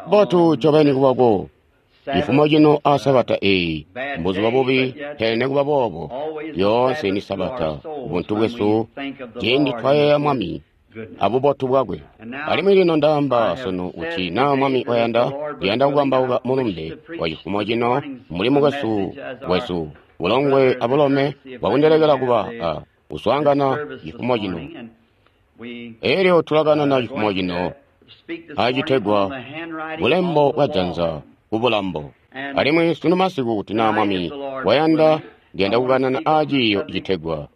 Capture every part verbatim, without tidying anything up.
Mbotu ncobeni kubako cifumo cino a Sabata eeyi, mbuzuba bubi, pele nikuba boobo lyoonse ni Sabata buntu bwesu ciindi twayeeya Mwami abubotu bwakwe. Alimwi lino ndaamba sunu kuti naa Mwami wayanda, ndiyanda kukambauka mulumbe wa cifumo cino mbuli mukwesu wesu bulongwe abulome bwakundelekela kuba a kuswaangana cifumo cino. Elyo tulakanana cifumo cino acitegwa bulembo bwa janza kubulambo. Alimwi sunu masiku kuti naa Mwami wayanda, ndiyanda kukanana aaciiyo citegwa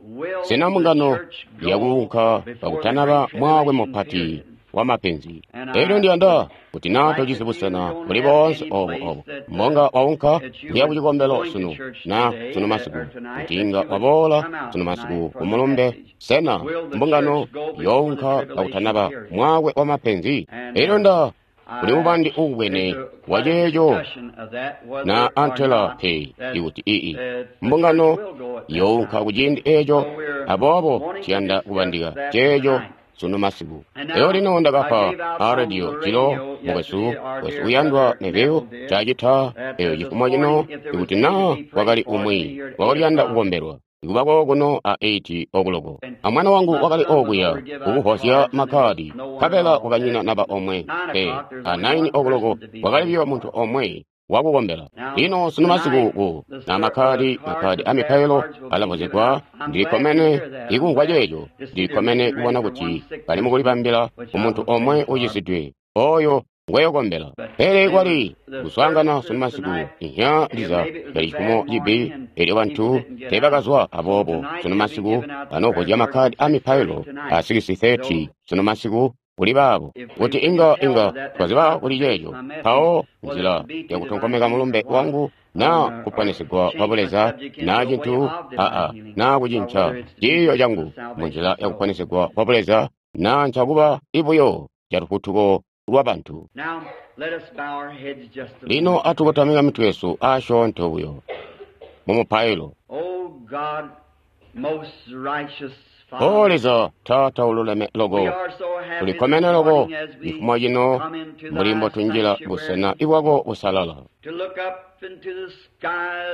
sena mbungano yakuunka kakutanaba mwaakwe mupati wa mapenzi. Elyo ndiyanda kuti naa tojisi busena buli boonse obo obo mbonga waunka kuya kucikombelo sunu na sunu masiku, kuti inga waboola sunu masiku kumulumbe sena mbungano younka kakutanaba mwaakwe wa mapenzi. Elyo nda kuli mubandi uubwene wa ceeco na antela pe ikuti ii mbungano younka kuciindi eeco, aboobo ciyanda kubandika ceeco sunu masiku. Elyo lino ndakapa a radio cilo mukwesu wesu uyandwa Neville cacita eyo cifumo cino ikuti naa wakali umwi wakaliyanda kukombelwa ikubako kuno a eight okuloko. Amwana wangu wakali okuya kukuvozya makkadi, nkabela wakanyina naba omwe pe. A nine okuloko wakali biyo muntu omwe wakukombela. Lino sunu masiku ku na makkadi makkadi a mipailo alavozegwa. Ndilikkomene ikumvwa ceeco. Ndilikkomene kubona kuti bali mukulibambila kumuntu omwe ucisidwe oyo ngweyokombela. Pele kwali kuswaangana sunu masiku inhya ndiza yali cifumo cibi, elyo bantu teebakazwa. Aboobo sunu masiku banovozya makkadi a mipailo a six thirty sunu masiku kuli baabo kuti inga inga twaziba kuli ceeco. Mpawo nzila yakutonkomeka mulumbe wangu naa kuponesigwa kwa buleza naa cintu aa naa kucinca ciiyo cangu munzila yakuponesigwa kwa buleza naa ncakuba ibuyo calufutuko lwabantu. Lino atukotamika mitwe yesu asyoonto buyo mumupailo. O Leza Taata ululeme loko, tulikkomene loko cifumo cino mbuli mbotunjila busena ibwako busalala,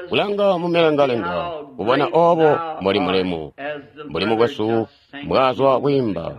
kulanga mumilengalenga kubona obo mbuli mulemu mbuli mukwesu mbwaazwa kwiimba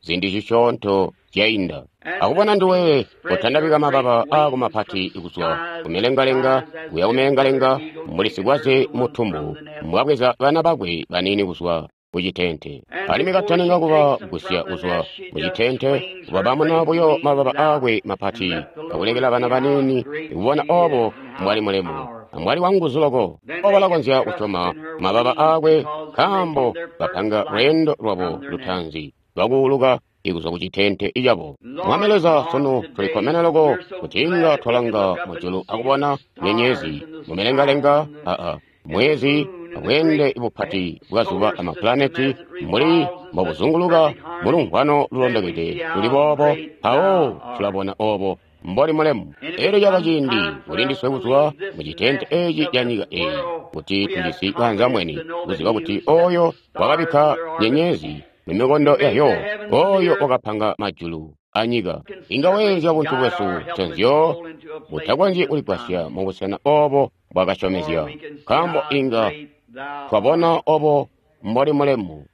ziindi zisyoonto zyainda, akubona nduwe kotandabika mababa aako mapati kuzwa kumilengalenga kuya kumilengalenga mbuli sikwaze mutumbu mbwabweza bana bakwe baniini kuzwa kucitente. Alimwi kataninga kuba gusya kuzwa mucitente, wabamuna buyo mababa aakwe mapati akulekela bana baniini kubona obo mbwali mulemu ambwali wanguzu loko. Balakonzya kusyoma mababa aakwe nkaambo bapanga lweendo lwabo lutaanzi lwakuuluka ikuzwa kucitente icabo. Mwami Leza, sunu tulikkomene loko kuti inga twalanga mujulu akubona nyenyezi mumilengalenga aa mwezi abweende bupati bwa zuba amapulaneti mbuli mbobuzunguluka mulumvwano lulondokede luli boobo. Mpawo tulabona obo mboli mulemu. Elyo caba ciindi kulindiswe kuzwa mucitente eeci ca nyika eeyi kuti tujisi kaanzambwene kuziba kuti oyo wakabikka nyenyezi mumikondo yayo, oyo wakapanga majulu anyika, inga weenzya buntu bwesu nconzyo butakonzyi kuligwasya mubusena obo bwakasyomezya, nkaambo inga twabona obo mboli mulemu.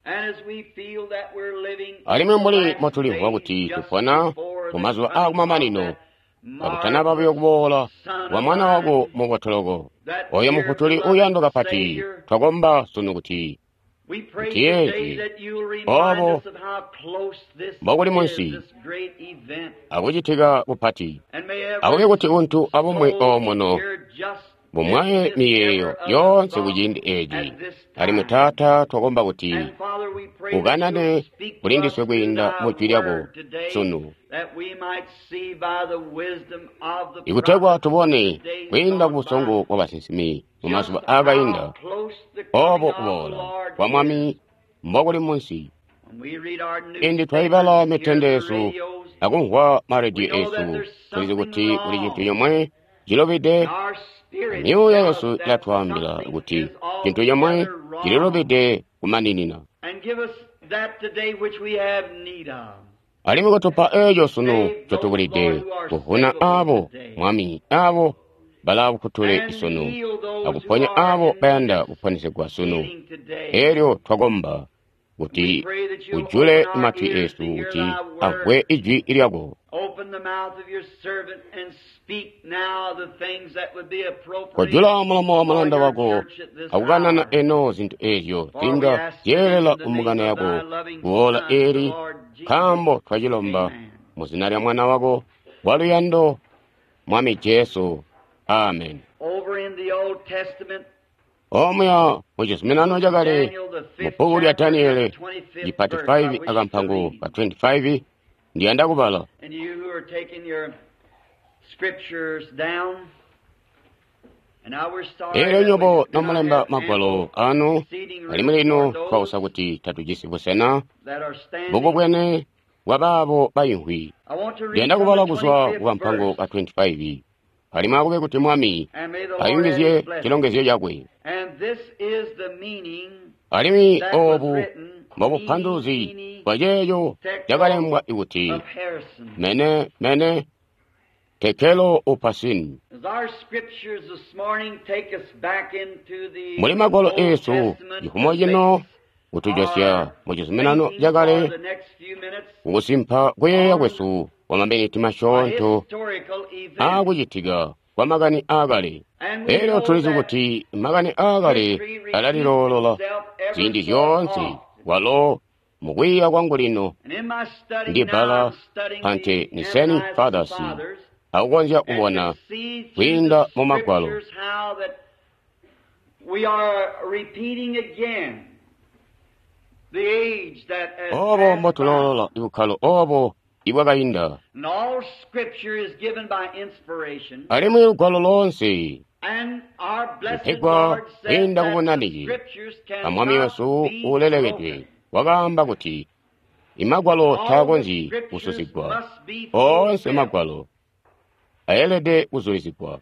Alimwi mbuli motulimvwa kuti tupona mumazuba aakumamanino kakutanaba buyo kuboola kwa Mwana wako mubotoloko, oyo Mufutuli uyandwa kapati, twakomba sunu kuti mutiyeezi obo mbokuli munsi akucitika kupati, akube kuti untu abumwi omuno bumwaye miyeeyo yoonse kuciindi eeci. Alimwi Taata, twakomba kuti ukanane kulindiswe kwiinda mu jwi lyako sunu, ikutegwa tubone kwiinda ku busongo bwa basinsimi mu mazuba aakainda obo kuboola kwa Mwami mbokuli munsi. Indi twaibala mitende yesu akumvwa marediyo esu, tulizi kuti kuli cintu comwe cilubide. Myuuya yesu ilatwaambila kuti cintu comwe cililubide kumaninina. Alimwi kotupa eeco sunu ncotubulide, kuvuna aabo, Mwami, aabo balaakutule isunu, akuponya aabo bayanda kuponesegwa sunu. Elyo twakomba kuti ujule matwi eesu kuti amvwe ijwi lyako. Kojula mulomo wa mulanda wako akukanana eno zintu eezyo zinga zyeelela kumbungano yako kuola eeli, nkaambo twacilomba mu zina lya Mwana wako waluyando, Mwami Jesu. Amen. Omuya mu Cizuminano Cakale, mu bbuku lya Daniele, chipati five akampango ka twenty-five, ndiyanda kubala. Eelyo nyobo nomulemba magwalo anu, alimwi lino twausa kuti tatujisi busena bukubwene bwa baabo bayimvwi. Ndiyanda kubala kuzwa kukampango ka twenty-five. Alimwi akube kuti Mwami ayungizye cilongezyo cakwe. Alimwi oobu mbobupanduluzi bwa ceeco cakalembwa kuti mene mene tekelo upasini. Muli magwalo eesu cifumo cino kutujosya mu Cizuminano Cakale kukusimpa kuyeeya kwesu kwa maminiti masyoonto aakucitika kwa makani aakale. Elyo tulizi kuti makani aakale alaliloolola ziindi zyoonse, walo mukwiiya kwangu lino ndi bbala Ante Nicene Fathers akukonzya kubona kwiinda mu Magwalo. Obo mbotulolola ibukkalo obo ibwakainda. Alimwi lugwalo loonse lupegwa kwiinda kubunaniki a Mwami wesu uulelekedwe wakaamba kuti imagwalo taakonzyi kususigwa, oonse magwalo ayelede kuzulizigwa.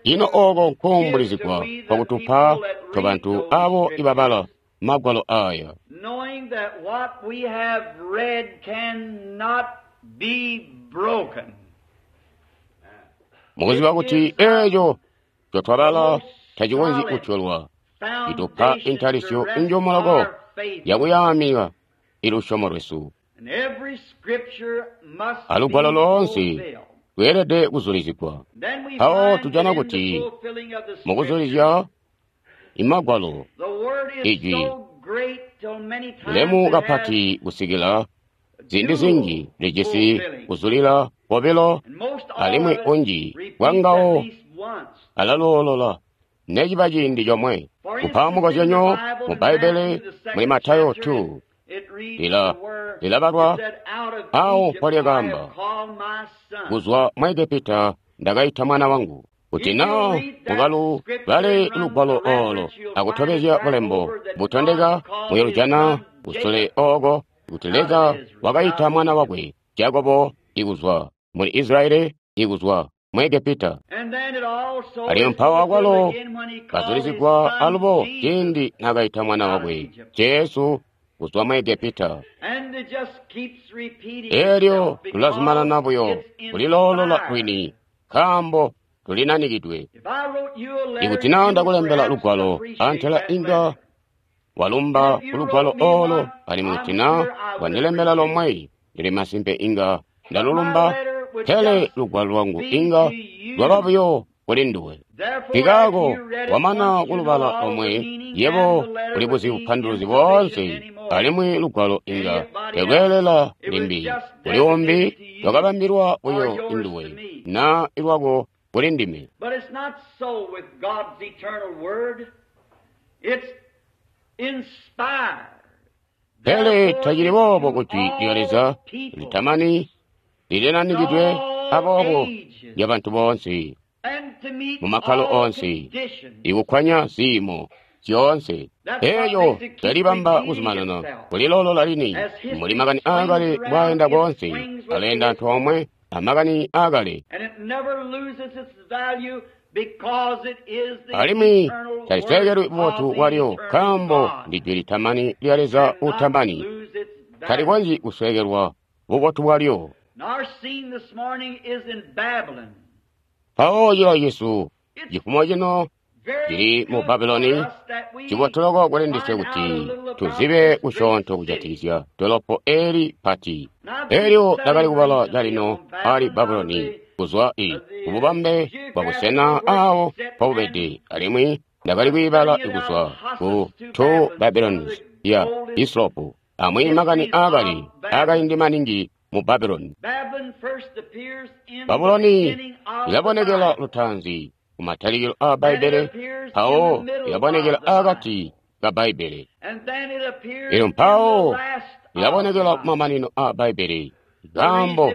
Ino ooko nkuumbulizigwa kwakutupa tobantu abo ibabala magwalo aya, knowing that what we have read cannot be broken. Mukuziba kuti eeco ncotwabala tacikonzyi kutyolwa, itupa intalisyo njomuloko yakuyaamika ilusyomo lwesu. Alugwalo loonse lweelede kuzulizigwa. Mpawo tujana kuti mukuzulizya imagwalo ijwi lemu kapati kusikila ziindi zinji lijisi kuzulila kobilo, alimwi unji bwangawo alaloolola neciba ciindi comwe. Kupa mukozyanyo, mu Bbaibbele muli Matayo two lila lilabalwa awo mpolyakambo, kuzwa mu Egepita ndakaita mwana wangu. Kuti naa mukalubale lugwalo oolo akutobezya bulembo butondeka, muyolujana kusule ooko kuti Leza wakaita mwana wakwe Jakobo ikuzwa muli Israeli ikuzwa mu Egepita. Alimwi mpawo akwalo kazulizigwa alubo ciindi naakaita mwana wakwe Jesu kuzwa mu Egepita. Eelyo tulazumanana buyo kuliloolola lwini nkaambo tulinanikidwe. Ikuti naa ndakulembela lugwalo antela inga walumba kulugwalo oolo, alimwi kuti naa wandilembela lomwe ndili masimpe inga ndalulumba, pele lugwalo lwangu inga lwaba buyo kuli nduwe. Nkikaako wamana kulubala lomwe, yebo ulibuzi bupanduluzi boonse, alimwi lugwalo inga telweelela limbi. Kuli umbi lwakabambilwa buyo induwe naa ilwako kuli ndime. But it's not so with God's eternal word. It's inspired. Pele tacili boobo ku jwi lya Leza litamani lilinanikidwe aboobo lya bantu boonse mu makkalo oonse, ikukwanya ziimo zyoonse. Eeyo yalibamba kuzumanana kuliloolola lini muli makani aakale bwaenda koonse, aleenda antoomwe amakani aakale. And it never loses its value because it is the Alimwi eternal talisekelwi word bubotu of the bwalyo eternal nkaambo God. ndi jwi litamani lya Leza Cannot utamani lose its talikonzyi kusweekelwa bubotu bwalyo. Mpawo cilawo cesu cifumo cino cili mu Babuloni, cibotuloko kuli ndiswe kuti tuzibe kusyoonto kujatikizya dolopo eli pati. Elyo ndakali kubala calino ali Babuloni kuzwa i kububambe bwa busena awo mpobubede, alimwi ndakali kwiibala kuzwa ku Two Babylons ya Hislop, amwi makani aakali aakaindi maningi mu Babuloni. Babuloni ilabonekela lutaanzi ku matalikilo aa Bbaibbele, mpawo ilabonekela aakati ka Bbaibbele, elyo mpawo ilabonekela kumamanino aa Bbaibbele. Nkaambo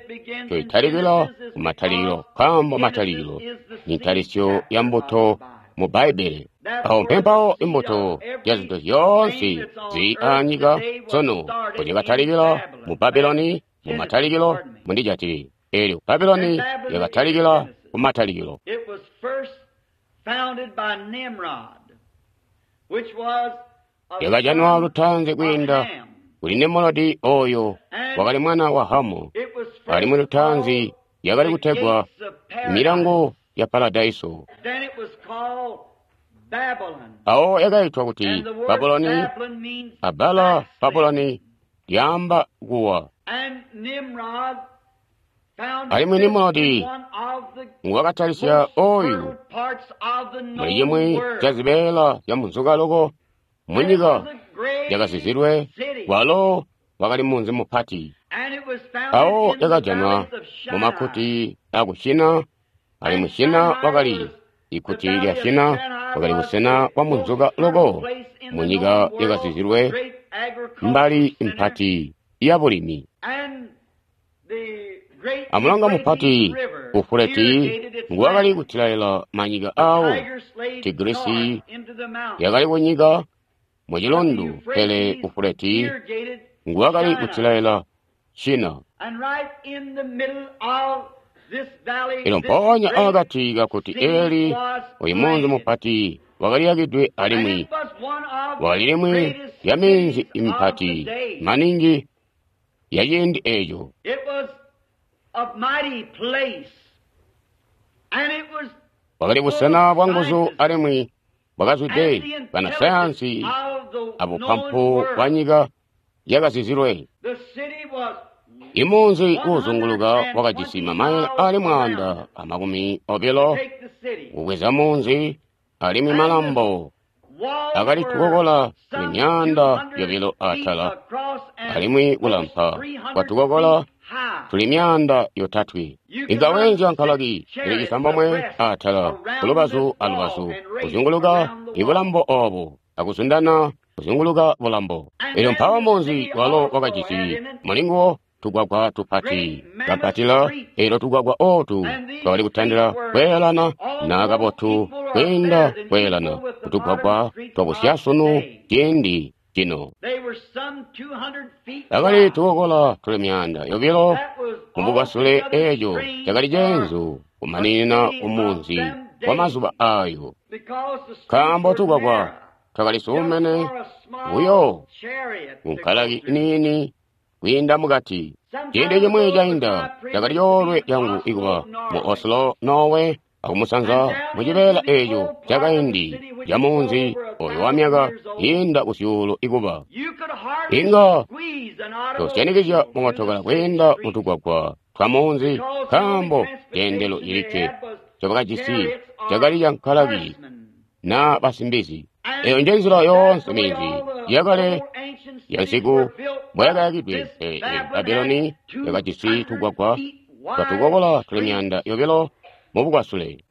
toitalikila ku matalikilo, nkaambo matalikilo ni ntalisyo ya mbuto mu Bbaibbele. Awo mpempawo imbuto ya zintu zyoonse zili aanyika sunu mpozyakatalikila mu Babuloni mu matalikilo mundijatile. Elyo Babuloni yakatalikila ku matalikilo. Yakajanwa lutaanzi kwiinda kuli Nimrodi, oyo wakali mwana wa Hamu, alimwi lutaanzi yakali kutegwa milango ya Paradaiso. Awo yakaitwa kuti Babuloni, abala Babuloni lyaamba kuwa. Alimwi Nimrodi nguwakatalisya oyu muli cimwi ca zibeela zya munzuka loko munyika yakazizilwe, walo wakali munzi mupati. Awo yakajanwa mu makuti aku Shina, alimwi Shina wakali ikuti lya Shina wakali busena bwa munzuka loko munyika yakazizilwe, mbali mpati ya bulimi. Amulonga mupati Ufuleti nguwakali kutilaila manyika awo. Tigrisi yakali kunyika mucilundu, pele Ufuleti nguwakali kutilaila Shina. Elyo mpoonya akati kakuti eli oyu munzi mupati wakaliyakidwe, alimwi wakali limwi lya minzi mipati maningi ya ciindi eco. Bwakali busena bwa nguzu alimwi bwakazwide banasayansi abupampu bwa nyika yakazizilwe. Imunzi uuzunguluka wakajisi mamaile ali mwaanda amakumi obilo kubweza munzi, alimwi malambo akali tukokola tuli myaanda yobilo atala, alimwi kulampa kwatukokola tuli myaanda yotatwe. Inga weenzya nkalaki ili cisambomwe atala kulubazu alubazu kuzunguluka ibulambo obo akuzundana kuzunguluka bulambo. Elyo mpawo munzi walo wakajisi mulinguwo tugwagwa tupati kapatila, elyo tugwagwa otu twakali kutandila kweelana na kabotu kwiinda kweelana kutugwagwa twakusyasunu ciindi cino. Akali tukokola tuli myaanda yobilo mubugwasule, eco cakali ceenzu kumaninina kumunzi kwa mazuba ayo, nkaambo tugwagwa twakali suumene buyo kunkalaki niini kwiinda mukati. Ciindi cimwi cainda cakali coolwe cangu ikuba mu Oslo, Norway, akumusanza mucibeela eco cakaindi ca munzi oyo wa myaka yiinda kusyuulu ikuba. Inga tosyanikizya mootokala kwiinda mutugwagwa twa munzi, nkaambo ceendelo cilikke ncobakajisi cakali ca nkalaki na basimbizi. Eyo njenzila yoonse minzi yakale yansiku mbwayakayakidwe. Pele Babuloni yakajisi tugwagwa twatukokola tuli myaanda yobilo mubugwasule.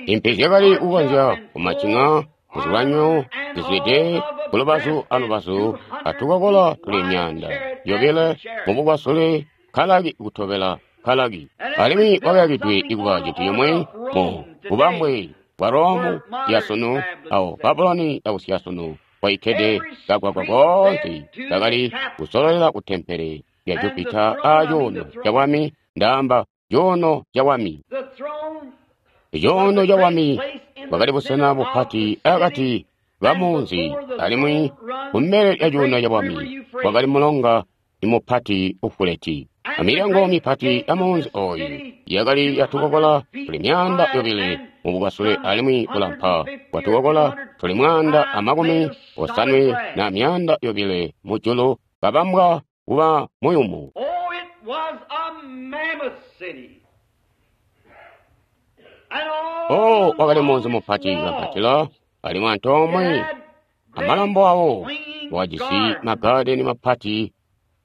Impi zyakali kukonzya kumacinga kuzilwanyo zizwide kulubazu alubazu atukokola tuli myaanda yobile mubugwasule, nkalaki kutobela nkalaki. Alimwi wakayakidwe ikuba cintu cimwe mu bubambwe bwa Romu yasunu, awo Babuloni yakusyasunu kwaikkede kagwagwa koonse kakali kusololela ku tempele lya Jupita a cuuno cabwami, ndaamba cuuno cabwami. Icuuno cabwami bwakali busena bupati akati ka munzi, alimwi kumbele lya cuuno cabwami kwakali mulonga mupati ufuleti. Amilyango mipati ya munzi oyu yakali yatukokola tuli myaanda yobile mubukasule alimwi bulampa bwatukokola tuli mwaanda amakumi osanwe na myaanda yobile mujulu kabambwa kuba muyumu. Oh, it was a mammoth city. And all O wakali along munzi its mupati walls, kampatila alimwi it antoomwe had great amalambo awo swinging wakajisi gardens. magadeni mapati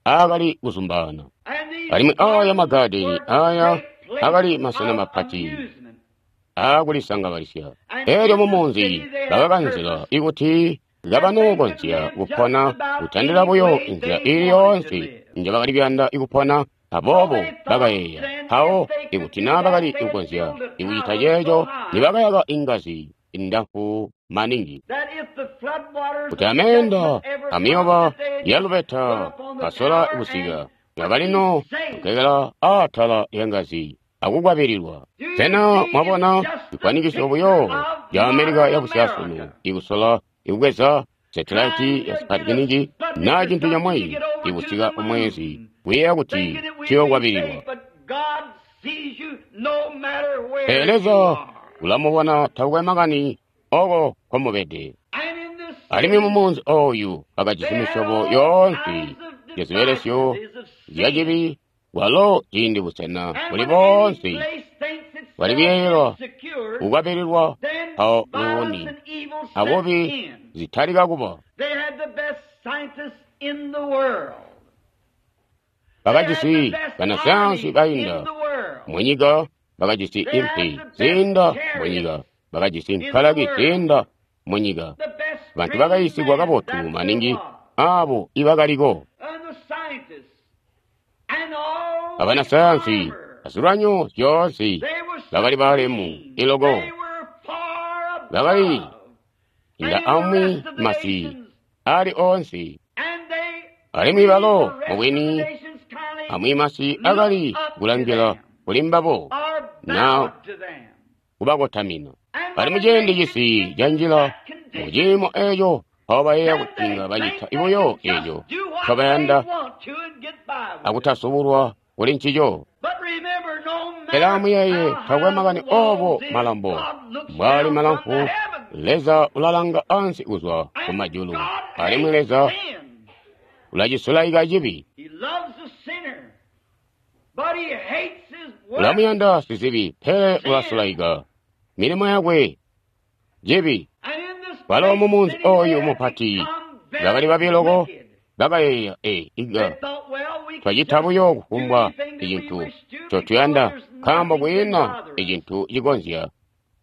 aakali kuzumbana. And these Alimwi aya gardens magadeni were aya great places akali masena of mapati amusement. aakulisangabalisya. And Elyo in the mumunzi city they had bakakanzila purpose ikuti that they could kabanookonzya live just kupona about kutandila any buyo way inzila they ili wanted to yoonse live. njebakali kuyanda ikupona. So Aboobo they thought bakayeeya then mpawo if they could ikuti do naa that, bakali they'd kukonzya build a ikucita tower so ceeco high nibakayaka ingazi ndamfu maningi that if the flood waters kuti of ameenda judgment ever come, amiyoba that they'd ya just put lubeta up on the kasola tower kusika and would ngakali be no saved. kukekela aatala lya ngazi akukwabililwa. Do you Sena see? It's mwabona just the chikwanikiso picture buyo of ya Amerika modern ya busyasunu America ikusola ikubweza setilaiti trying ya to get a Sputnik Sputnik na or chintu something to chomwe get over to ikusika the kumwezi moon, kuyeeya kuti thinking that we'd be chiyokwabililwa. safe, but God sees you no matter where Pele you Leza are. ulamubona takukwe makani oko komubede. And in this Alimwi city, mumunzi oyu bakajisi they had misyobo all yoonse kinds of ya zibelesyo devices of sin. zyacibi walo ciindi busena And buli when any boonse place thinks bwali itself kuyeeyelwa insecure, kukwabililwa then mpawo violence luuni and evil sets abubi in. zitalika kuba. They had the best scientists in the world. They had the Bakajisi best banasayansi army bainda in the world. munyika, bakajisi They had impi the best ziinda chariots munyika, bakajisi in the nkalaki world. ziinda munyika. The best Bantu trained bakayisigwa men kabotu that there maningi was. abo ibakaliko. And the scientists and all the Abanasayansi armor. azilwanyo zyoonse They were bakali balemu supreme. iloko They were far bakali above inda any of the amwi rest of the masi nations. ali onse. And they, Alimwi we, balo the rest of the mubwini nations, kindly amwi masi look akali up to kulangila them kuli mbabo or na bowed to them. kubakotamina. And Bali when a muciindi nation cisi gets in canjila that condition, muciimo eco mpawo bayeeya then kuti they inga bacita think they ibuyo can just eco do what they ncobayanda want to and get by with it. akutasubulwa kuli ncico. But remember, no Pele matter amuyeeye how takwe high the makani obo walls is, malambo God looks mbwali down from the malamfu heavens. Leza ulalanga ansi kuzwa And kumajulu God alimwi hates Leza sin. ulacisulaika cibi. He loves the sinner, but he hates his works. Ulamuyanda sizibi pele Sin. ulasulaika milimo yakwe cibi. And in this Balo great mumunzi city they oyu had mupati become bakali very babiloko wicked. bakayeeya e inga They thought, well, we can twacita just buyo do kufumbwa anything that we icintu wish to because ncotuyanda there's nkaambo nothing can kwiina bother us. icintu cikonzya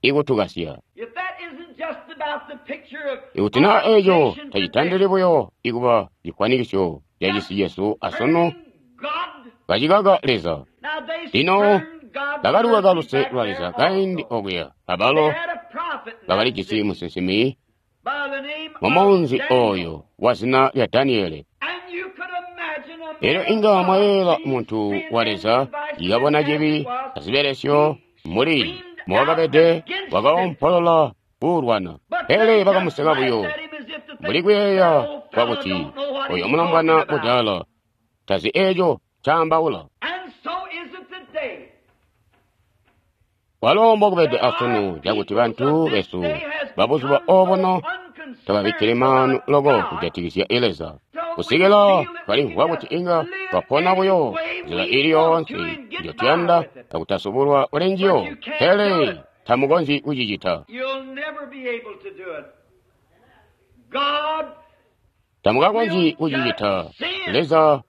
ikutukasya. If that isn't just about the picture of Ikuti naa our eco nation tacitandili today, buyo ikuba cifwanikiso ca just cisi cesu asunu turning God. kacikaka Leza. Now they Lino spurned God's bakalikaka mercy luse back lwa there Leza kaindi also. okuya. They Abalo had a prophet in that bakalijisi city musinsimi by the name mu of munzi Daniel. oyo wa zina lya Daniele. And you could imagine a Elyo man of inga God mwayeela seeing muntu sin wa and Leza devices yakabona as it cibi was, azibelesyo he muli screamed out mwakabede against it. wakaompolola kuulwana. But Pele they just bakamuseka laughed buyo at him as if to mbuli think that kuyeeya old fellow kwakuti don't know what oyo he's talking mulombwana about. mudaala tazi eco ncaambaula. And so is it today Walo mbokubede that our asunu cakuti peoples of bantu this besu day has babuzuba become so obuno tababikkili unconcerned maanu about loko God kujatikizya Leza. till we Kusikila feel that we can twalimvwa just kuti inga live twapona any buyo way nzila we ili want to yoonse and get by njotuyanda with it. akutasubulwa kuli But njiyo, you can't do pele it. tamukonzyi kucicita. You'll never be able to do it. God Tamukakonzyi will judge kucicita. sin. Leza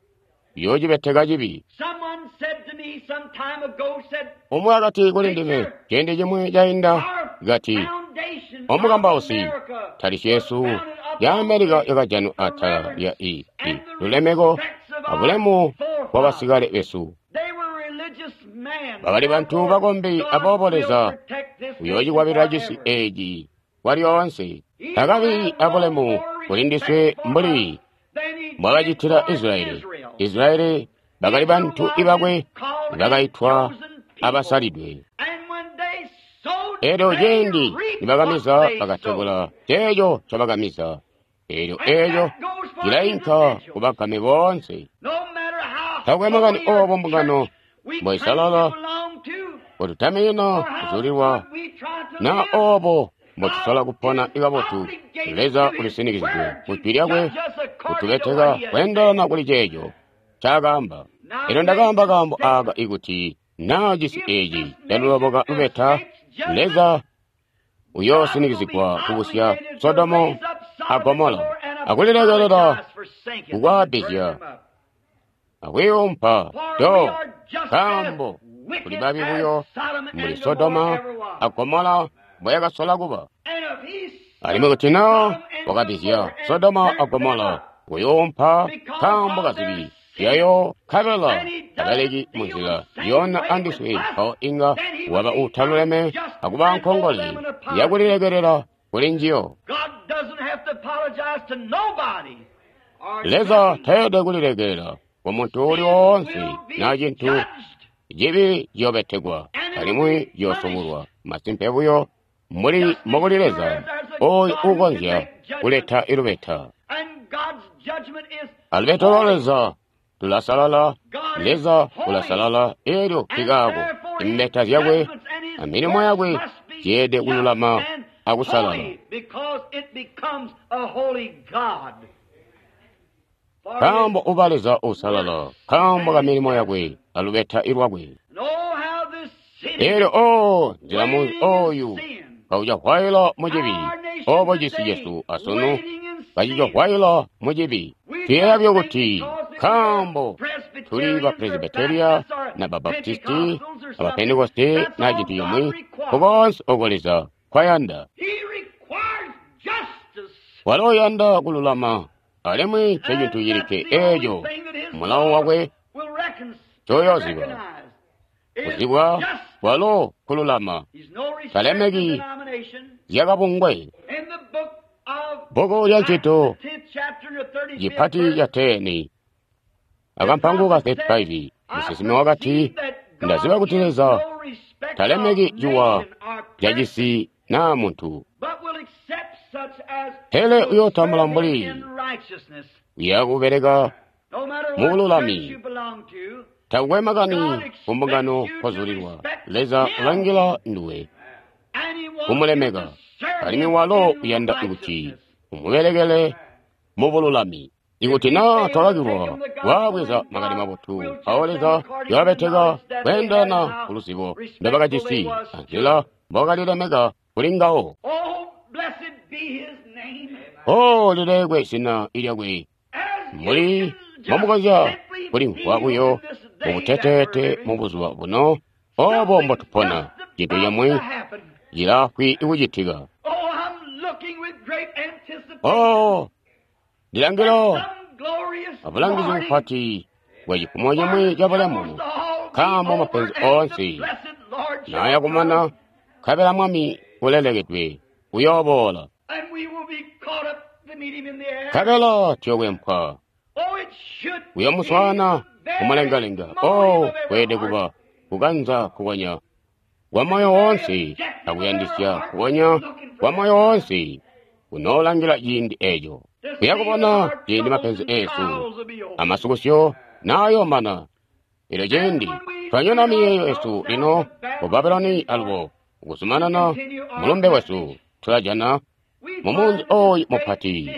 yoocibeteka cibi. Someone said to me some time ago, said, Umwe akati kuli ndime Preacher, ciindi cimwe cainda our kati foundation of omukambausi America tali was cesu founded ya upon Amerika the, yakajanwa the atala lya reverence i i and the lulemeko respects of our abulemu bwa forefathers. basikale besu. They were religious men. Bakali bantu Therefore, bakombi God aboobo will Leza protect this nation uyoocikwabilila cisi forever. eci kwalyoonse. He will Takabi have no abulemu more kuli respect ndiswe for mbuli us than he did mbwakacitila for Israeli. Israel. Israeli bakali Israel bantu was his ibakwe called and bakaitwa chosen people. abasalidwe. And when they sowed, Elyo they ciindi reaped what nibakamiza they sowed. bakatebula ceeco ncobakamiza. Elyo And eeco that goes for cilainka individuals. kubagame boonse. No Takwe makani obo mbungano mboisalala mbotutaminina kuzulilwa na obo mbotusola kupona ikabotu, Leza ulisinikizidwe ku Jwi lyakwe kutubeteka kweendelana kuli ceeco ncaakaamba. Elyo ndakaamba kaambo aaka ikuti naa cisi eeci caluloboka lubeta, Leza uyoosinikizigwa kubusya Sodomu a Gomola akulilekelela kukwaabizya akwiiumpa do, nkaambo kuli babi buyo mbuli Sodoma a Gomola mboyakasola kuba. Alimwi kuti naa wakabizya Sodoma a Gomola kuyuumpa nkaambo kazibi zyayo, nkabela tabaleki munzila yona andiswe, mpawo inga waba uutaluleme akuba nkongole yakulilekelela kuli njiyo. Leza tayeede kulilekelela kumuntu uuli woonse naa cintu cibi ciyobetekwa alimwi ciyoosubulwa. Masimpe buyo mbuli mbokuli Leza ooyo uukonzya kuleta ilubeta. Alubeta lwa Leza tulasalala, Leza ulasalala, elyo nkikaako imbeta zyakwe amilimo yakwe zyeede kululama akusalala. Nkaambo uba Leza uusalala, nkaambo kamilimo yakwe alubeta lwakwe. Elyo oo nzila munzi ooyu kaucahwaila mucibi, obo cisi cesu asunu kacicahwaila mucibi. Tuyeeya buyo kuti nkaambo tuli ba Presbyteria na ba Baptisti na ba Pentekoste na cintu cimwi, nkukoonse oko Leza nkwayanda. Walo uyanda kululama, alimwi ncecintu cilikke eeco mulawo wakwe ncoyooziba. Kuzibwa walo kululama, talemeki zyakabungwe. Bbuku lya Ncito cipati ca teni akampango ka thirty-five, musinsimi wakati, ndaziba kuti Leza talemeki ciwa cacisi naa muntu, pele uyootambula mbuli uyakubeleka mubululami. Takukwe makani kumbungano nkozulilwa, Leza ulangila nduwe kumulemeka, alimwi walo uyanda kuti umubelekele mubululami. Ikuti naa twakakilwa kwaabweza makani mabotu, mpawo Leza uyabeteka kweendelana kuluzibo ndobakajisi anzila mbokalilemeka kuli ngawo. O lilekwe zina lyakwe, mbuli mbomukonzya kulimvwa buyo mubuteteete mubuzuba buno obo mbotupona, cintu cimwi cilaafwi kucitika. Oh, ndilangila abulangizi bupati bwa cifumo cimwi cabulemu, nkaambo mapenzi oonse naayakumana, nkabela Mwami ulelekedwe uyooboola, nkabela tuyokwempwa uyomuswaana kumulengalenga. Oh, kweelede kuba kukanza kukonya kwa moyo woonse akuyandisya kukonya kwa moyo woonse kunoolangila ciindi eeco. Kuyakubona ciindi mapenzi eesu amasukusyo naayoomana. Elyo ciindi twanyona miyeeyo yesu lino ku Babuloni alubo kuzumanana mulumbe wesu, tulajana mumunzi ooyu mupati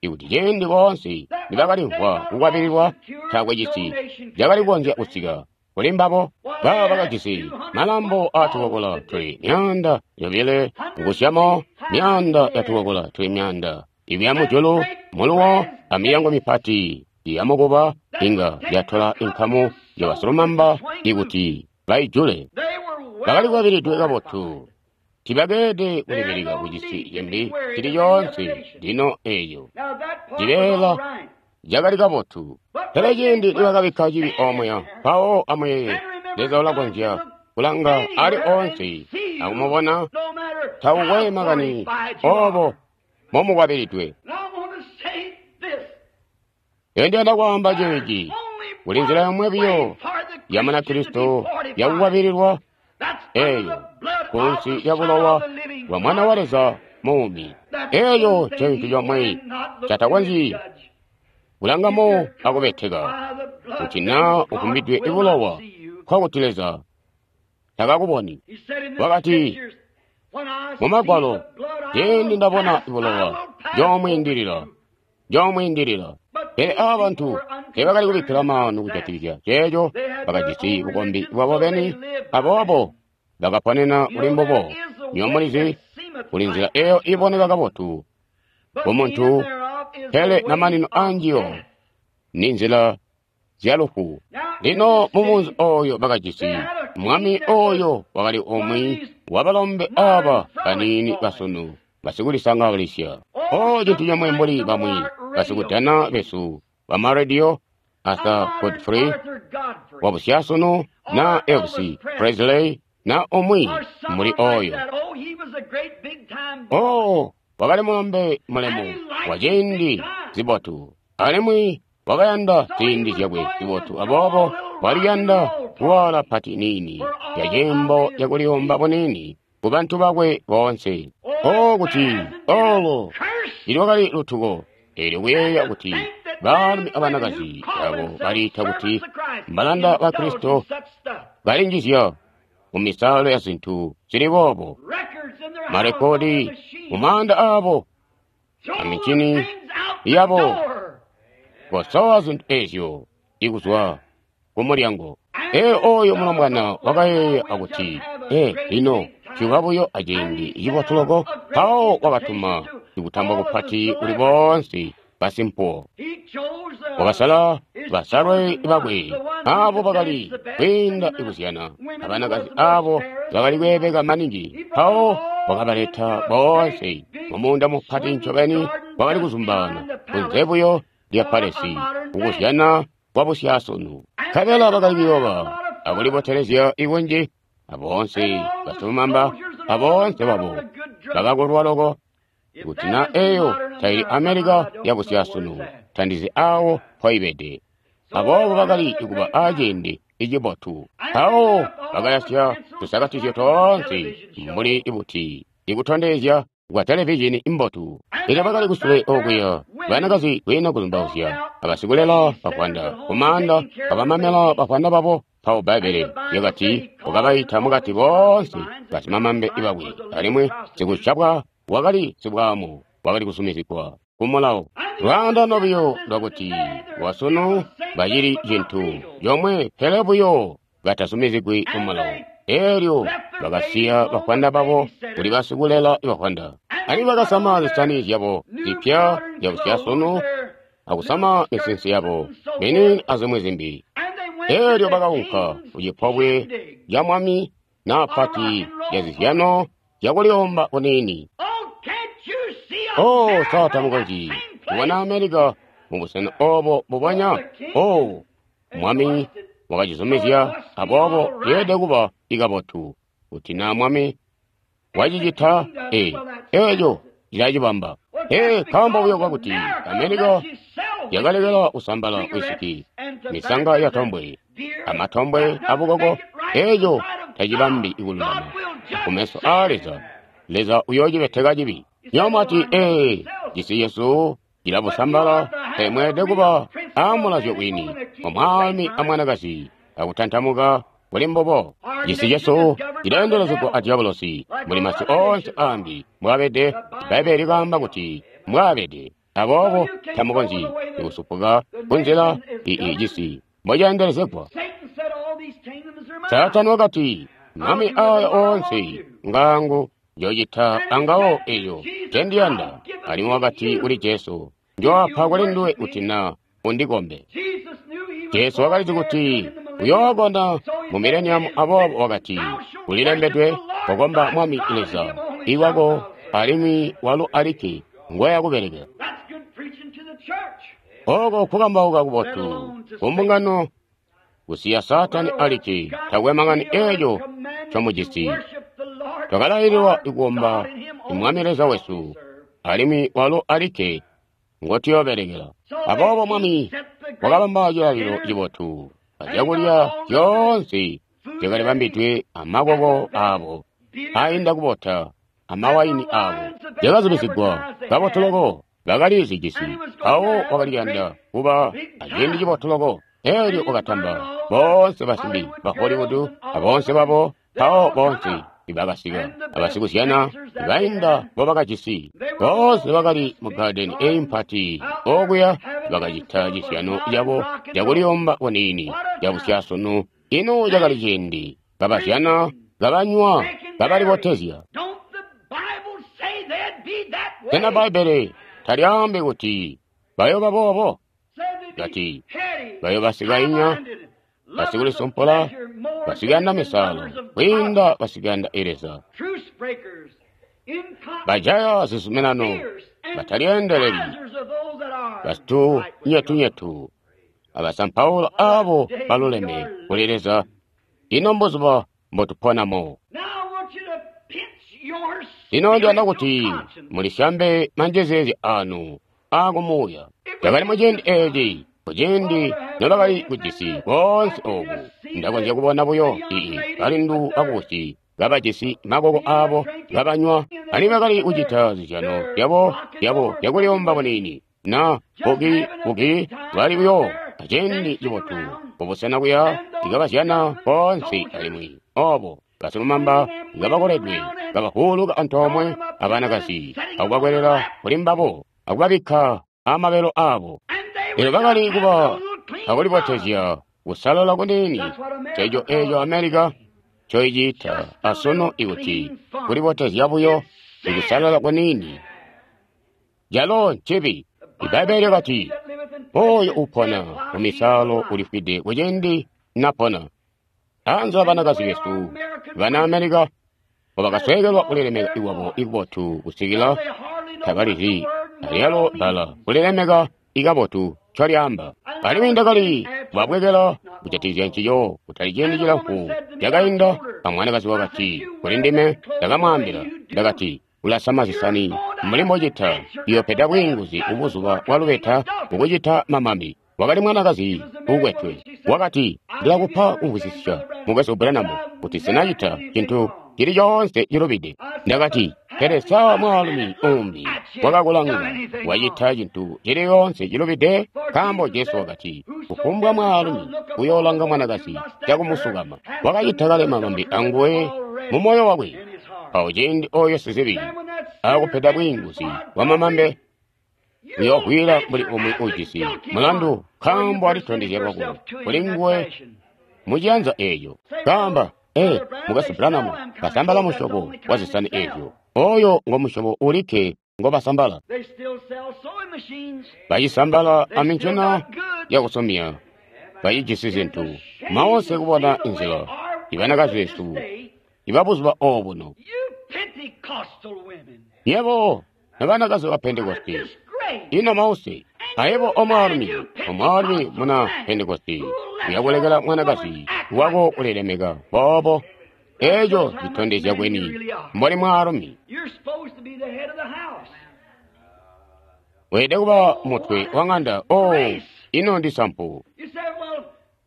ikuti ciindi boonse nibakalimvwa kukwabililwa, taakwe cisi cakali kukonzya kusika kuli mbabo. Baba bakajisi malambo aatukokola tuli myaanda yobile kukusyamo myaanda yatukokola tuli myaanda ibya mujulu muluwo amilyango mipati yamukuba inga yatola inkamu yabasilumamba ikuti baijule. Bakali kwabilidwe kabotu, tibakeede kulibilika kucisi cimbi cili coonse. Lino eeyo cibeela cakali kabotu, pele ciindi nibakabikka cibi omuya, mpawo amuyeeye, Leza ulakonzya kulanga ali oonse akumubona, takukwe makani obo momukwabilidwe. Ndiyanda kwaamba ceeci, kuli nzila yomwe biyo ya Munakristo yakukwabililwa, eeyo kunsi lya bulowa bwa Mwana wa Leza muumi. Eeyo ncintu comwe catakonzyi kulangamo akubeteka. Kuti naa uvumbidwe ibulowa, nkokuti Leza takakuboni. Wakati mu Magwalo, ciindi ndabona ibulowa, njoomwiindilila, njoomwiindilila. Pele aba bantu teebakali kubikkila maanu kujatikizya ceeco, bakajisi bukombi bwabo beni, aboobo bakaponena kuli mbubo. Nywebo mulizi, kuli nzila eyo iboneka kabotu kumuntu, pele mamanino anjiyo ni nzila zyalufu. Lino mumunzi oyo bakajisi mwami oyo wakali umwi wabalombe aba baniini basunu basikulisangalisya. O cintu comwe mbuli bamwi basikudana besu bamaradio, Arthur Godfrey wabusyasunu na Elvis Presley na umwi mbuli oyo. Oh, wakali mulombe mulemu wa ciindi zibotu, alimwi wakayanda ziindi zyakwe zibotu, aboobo waliyanda kuwala pati niini ya ciimbo cakuliyomba buniini ku bantu bakwe boonse. Oh, kuti olo ilwakali lutuko eelyo kuyeeya kuti baalumi abanakazi abo baliita kuti mbalanda ba Kristo balinjizya mu misalo ya zintu zili boobo, marekodi mu maanda abo amicini yabo, kosowa zintu ezyo ikuzwa ku mulyango. Ee, oyo mulombwana wakayeeya akuti, ee, lino ciba buyo aciindi cibotu loko. Mpawo wakatuma ikutamba kupati kuli boonse basimpuwo. Wakasala basalwe bakwe abo bakali kwiinda ikuzyana abanakazi abo bakali kweebeka maningi. Mpawo wakabaleta boonse mumuunda mupati ncobeni wakali kuzumbaana kunze buyo lya palesi kukuzyana kwa busyasunu. Nkabela bakali kuyoba akulibotelezya ikunji, aboonse basilumamba aboonse babo bakakolwa loko. Kuti na eyo taili Amerika yabusyasunu, tandizi awo mpoibede. Aboobo bakali kuba aciindi icibotu. Mpawo bakayasya tusakatizyo toonse mbuli ibuti ikutondezya kwa televizhini imbotu. Elyo bakali kusule okuya banakazi kwiina kuzumbauzya, abasikulela bafwanda kumaanda abamamela bafwanda babo. Mpawo Bbaibbele lyakati wakabaita mukati boonse basimamambe bakwe, alimwi sikusyabwa wakali sibwaamu wakali kusumizigwa kumulawo. Lwaandano buyo lwakuti wasunu bacili cintu comwe, pele buyo batasumizigwi kumulawo. Eelyo bakasiya bafwanda babo kuli basikulela bafwanda, alimwi bakasama zisani zyabo zipya zyabusyasunu akusama misinsi yabo minini azimwi zimbi. Eelyo bakaunka kucipobwe lya mwami na pati ya zizyano zyakuliyomba kuniini. Oh, sa tamukonzyi kubona Amerika mubusena obo bubonya. Oh, mwami wakacizumizya, aboobo yeelede kuba ikabotu. Kuti na mwami wacicita, ee, eeco cilacibamba. Ee, nkaambo buyo kwakuti Amerika yakalekela kusambala wisiki, misanga ya tombwe, amatombwe abukoko, eeco tacibambi ikululama kumeso aa Leza. Leza uyoocibeteka cibi. Nyamati, ee, cisi cesu cilabusambala, pele mweelede kuba aamulazyo wini wa mwaalumi amwanakazi akutantamuka kuli mbubo. Cisi cesu cileendelezegwa a diabolosi mbuli masi oonse aambi mbwaabede. Bbaibbele likaamba kuti mbwaabede. Aboobo tamukonzyi kusupuka kunzila ii cisi mboceendelezegwa. Saatani wakati, mami aya oonse ngangu, njoocita angawo eyo ncendiyanda. Alimwi wakati kuli Jesu, njoapa kuli nduwe kuti na undikombe. Jesu wakalizi kuti uyookona mu mileniamu, aboobo wakati, kulilembedwe, kokomba Mwami Leza iwako, alimwi walo alikke ngwaya kubelekela. Oko kukambauka kubotu kumbungano, kusiya Saatani alikke, takwe makani eeco ncomujisi. Twakalaililwa kukomba Mwami Leza wesu, alimwi walo alikke ngotuyoobelekela. Aboobo Mwami wakabamba cilalilo cibotu, azyakulya zyoonse zyakalibambidwe amakoko aabo ainda kubota amawaini aabo zyakazubizigwa kabotu loko, bakali zijisi. Mpawo wakaliyanda kuba aciindi cibotu loko. Elyo wakatamba boonse basimbi ba Hollywood aboonse babo, mpawo boonse ibakasika abasikuzyana ibainda mbobakajisi. Boonse bakali mu gadeni eyi mpati okuya bakacita cizyano cabo cakuliyomba kuniini cabusyasunu. Ino cakali ciindi kabazyana, kabanywa, kabalibotezya. Sena Bbaibbele talyaambi kuti bayooba boobo? Kati bayoobasikayinya, basikulisumpula, basikuyanda misalo kwiinda basikuyanda Leza, bajaya zizuminano, batalyeendeleli, basitunyetunyetu, abasampaula abo baluleme kuli Leza. Ino mbuzuba mbotuponamo. Lino ndiyanda kuti mulisyambe manjezeezya anu aakumuuya. Cakali muciindi eeci, kuciindi nobakali kujisi boonse obu, ndakonzya kubona buyo ii balindu bakubusi kabajisi makoko aabo kabanywa, alimwi bakali kucita zizyano zyabo zyabo zyakuliyomba buniini na buki buki bali buyo aciindi cibotu kubusena kuya ikabazyana boonse alimwi obo basilumamba ngabakoledwe kabahuuluka antoomwe abanakazi akubakwelela kuli mbabo akubabikka amabelo aabo. Elyo bakali kuba akulibotezya kusalala kuniini. Nceeco eeco Amerika ncoiciita asunu ikuti kulibotezya buyo ikusalala kuniini. Calo ncibi. Ibbaibbele lyakati, oyo upona mumisalo ulifwide kuciindi napona. Anze abanakazi besu bana Amerika mbobakasweekelwa kulilemeka ikwabo ikubotu kusikila tabalizi alyalo bbala kulilemeka ikabotu ncolyaamba. Alimwi ndakali kubabwekela kujatikizya ncico kutali ciindi cilamfu cakainda. Amwanakazi wakati kuli ndime, ndakamwaambila, ndakati, ulasama zisani mbuli mbocita, iyopeda bwiinguzi kubuzuba bwa lubeta kukucita mamambi. Wakali mwanakazi ukwetwe. Wakati, ndilakupa kumvwisisya, Mukwesu Branham, kuti sinacita cintu cili coonse cilubide. Ndakati, pele sa mwaalumi umbi wakakulanga wacita cintu cili coonse cilubide? Nkaambo Jesu wakati, kufumbwa mwaalumi uyoolanga mwanakazi cakumusukama wakacita kale mamambi anguwe mu moyo wakwe. Mpawo ciindi oyo sizibi akupeda bwiinguzi bwa mamambe, uyoogwila mbuli umwi ujisi mulandu, nkaambo alitondezya lwako kuli nguwe muciyanza eeco. Kaamba, ee, Mukwesu Branham, basambala musyobo wa zisani eezyo. Oyo ngo musyobo ulikke ngobasambala. Bacisambala amincina yakusomya, bacijisi zintu maonse kubona inzila ibanakazi besu ibabuzuba obuno. Yebo nabanakazi ba Pentekosti, ino mause ayebo omwaalumi, omwaalumi muna Pentekosti uyakulekela mwanakazi wako kulilemeka boobo. Eeco citondezya kweni mboli mwaalumi. Weelede kuba mutwe wa ŋanda. Oh, ino ndi sampu.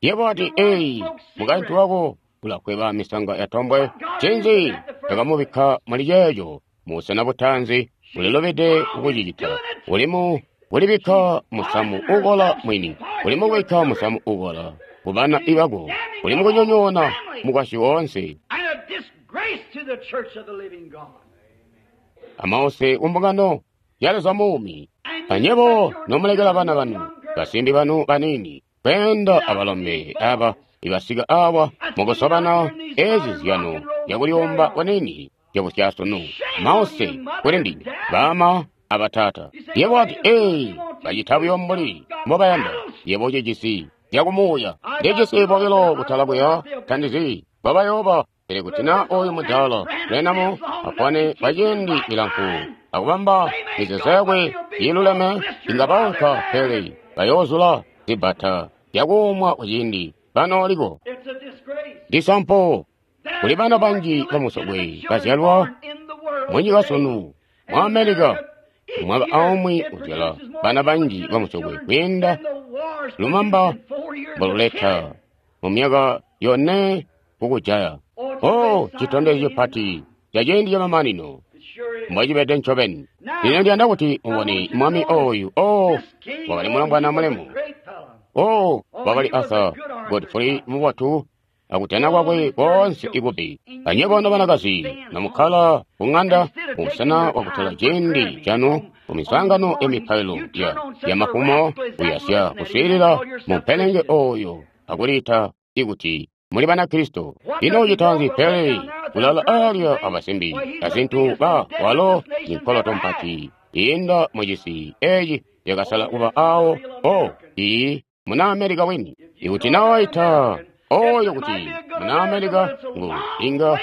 Yebo ati, eyi, mukaintu wako ulakweba misanga ya tombwe. Ncinzi takamubikka muli ceeco musena butanzi ulilobede kukucicita. Ulimu kulibikka musamu ukola mwini, ulimu kubikka musamu ukola kubana ibako, ulimu kunyonyoona mukwasyi woonse. Amause kumbungano ya Leza muumi. Anyebo nomulekela bana banu, basimbi banu baniini kweenda abalombe aba ibasika awa mukusobana ezi zyano zyakuliyomba kuniini zyabusyasunu. Mause kuli ndime baama abatata. Yebo ati, ee, bacita buyo mbuli mbobayanda. Yebo ucijisi zyakumuuya. Ndijisi bobilo kutala kuya, tandizi mbobayooba. Pele kuti na oyu mudaala Branham apone kwa ciindi cilamfu akubamba mizeezo yakwe iiluleme, inga baunka, pele bayoozula zibbata zyakuumwa kuciindi banooliko. Ndisampo kuli bana banji bamusokwe bazyalwa munyika sunu mu Amerika. Mwaka aumwi uzyala bana banji bamusokwe kwiinda lumamba mboluleta mu myaka yone kukujaya. Oh, citondezyo cipati ca ciindi camamanino mbocibede ncobeni. Lino ndiyanda kuti mubone mwami oyu. Oh, wakali mulombwana mulemu. Oh, wakali Arthur Godfrey mubotu akutena kwakwe koonse ikubi. Anywebo nobanakazi nomukkala ku ŋanda mubusena bwakutola ciindi canu kumiswaangano ya mipailo ya ya mafumo kuyasya kuswiilila mumpelenge oyo akuliita ikuti muli Banakristo. Ino ucita pele kulala alya abasimbi azintu ba walo ninkoloto mpati iinda mucisi eeci yakasala kuba awo o iyi muna Amerika wini. Ikuti nawaita oyo kuti muna Amerika ngu inga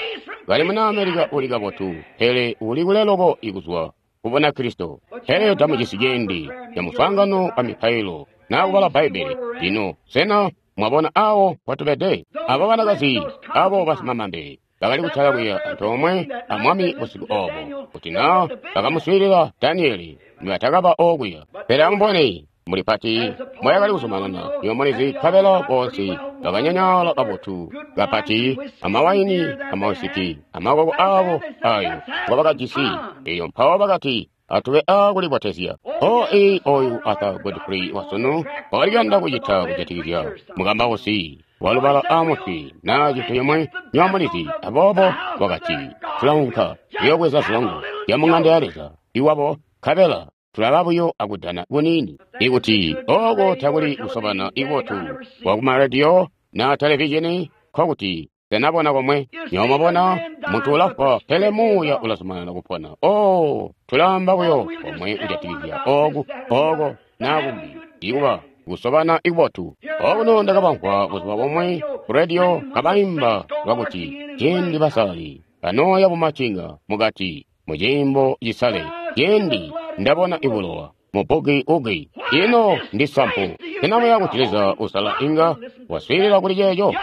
kali muna Amerika uli kabotu pele uli kule loko ikuzwa ku Bunakristo. Pele tamucisi ciindi ca muswaangano wa mipailo naa kubala Bbaibbele. Lino sena mwabona awo mpotubede? Abo banakazi abo basimamambe bakali kutala kuya antoomwe a Mwami busiku obo kuti naa bakamuswiilila Danieli nibatakaba okuya. Pele amubone muli pati moyakali kuzumanana niyomulizi nkabela bonse bakanyanyala kabotu kapati amawaini amawisiki amakoko abo ayo ngobakajisi. Eyo mpawo bakati atube akulibotezya. O ii oyu Arthur Godfrey wasunu wakali kuyanda kucita kujatikizya mukambausi walubala amutwi naa cintu cimwe nyomulizi. Aboobo wakati tulaunka kuyoobweza zilongo zya muŋanda ya Leza iwabo nkabela tulaba buyo akudana kuniini. Ikuti oko takuli kusobana ikubotu kwakumarediyo na televizhini nkokuti tenabona komwe. Nyomabona muntu ulafwa pele muuya ulazumanana kupona. Oh, tulamba buyo komwe kujatikizya oku oko naa kumbi ikuba kusobana ikubotu. Okuno ndakabamvwa buzuba bomwe ku rediyo kabaimba lwakuti ciindi basali banooya bumacinga mukati muciimbo cisale ciindi ndabona ibulowa mubugi ugi. Ino ndi sampu. Sena kuti Leza usala inga waswiilila kuli ceeco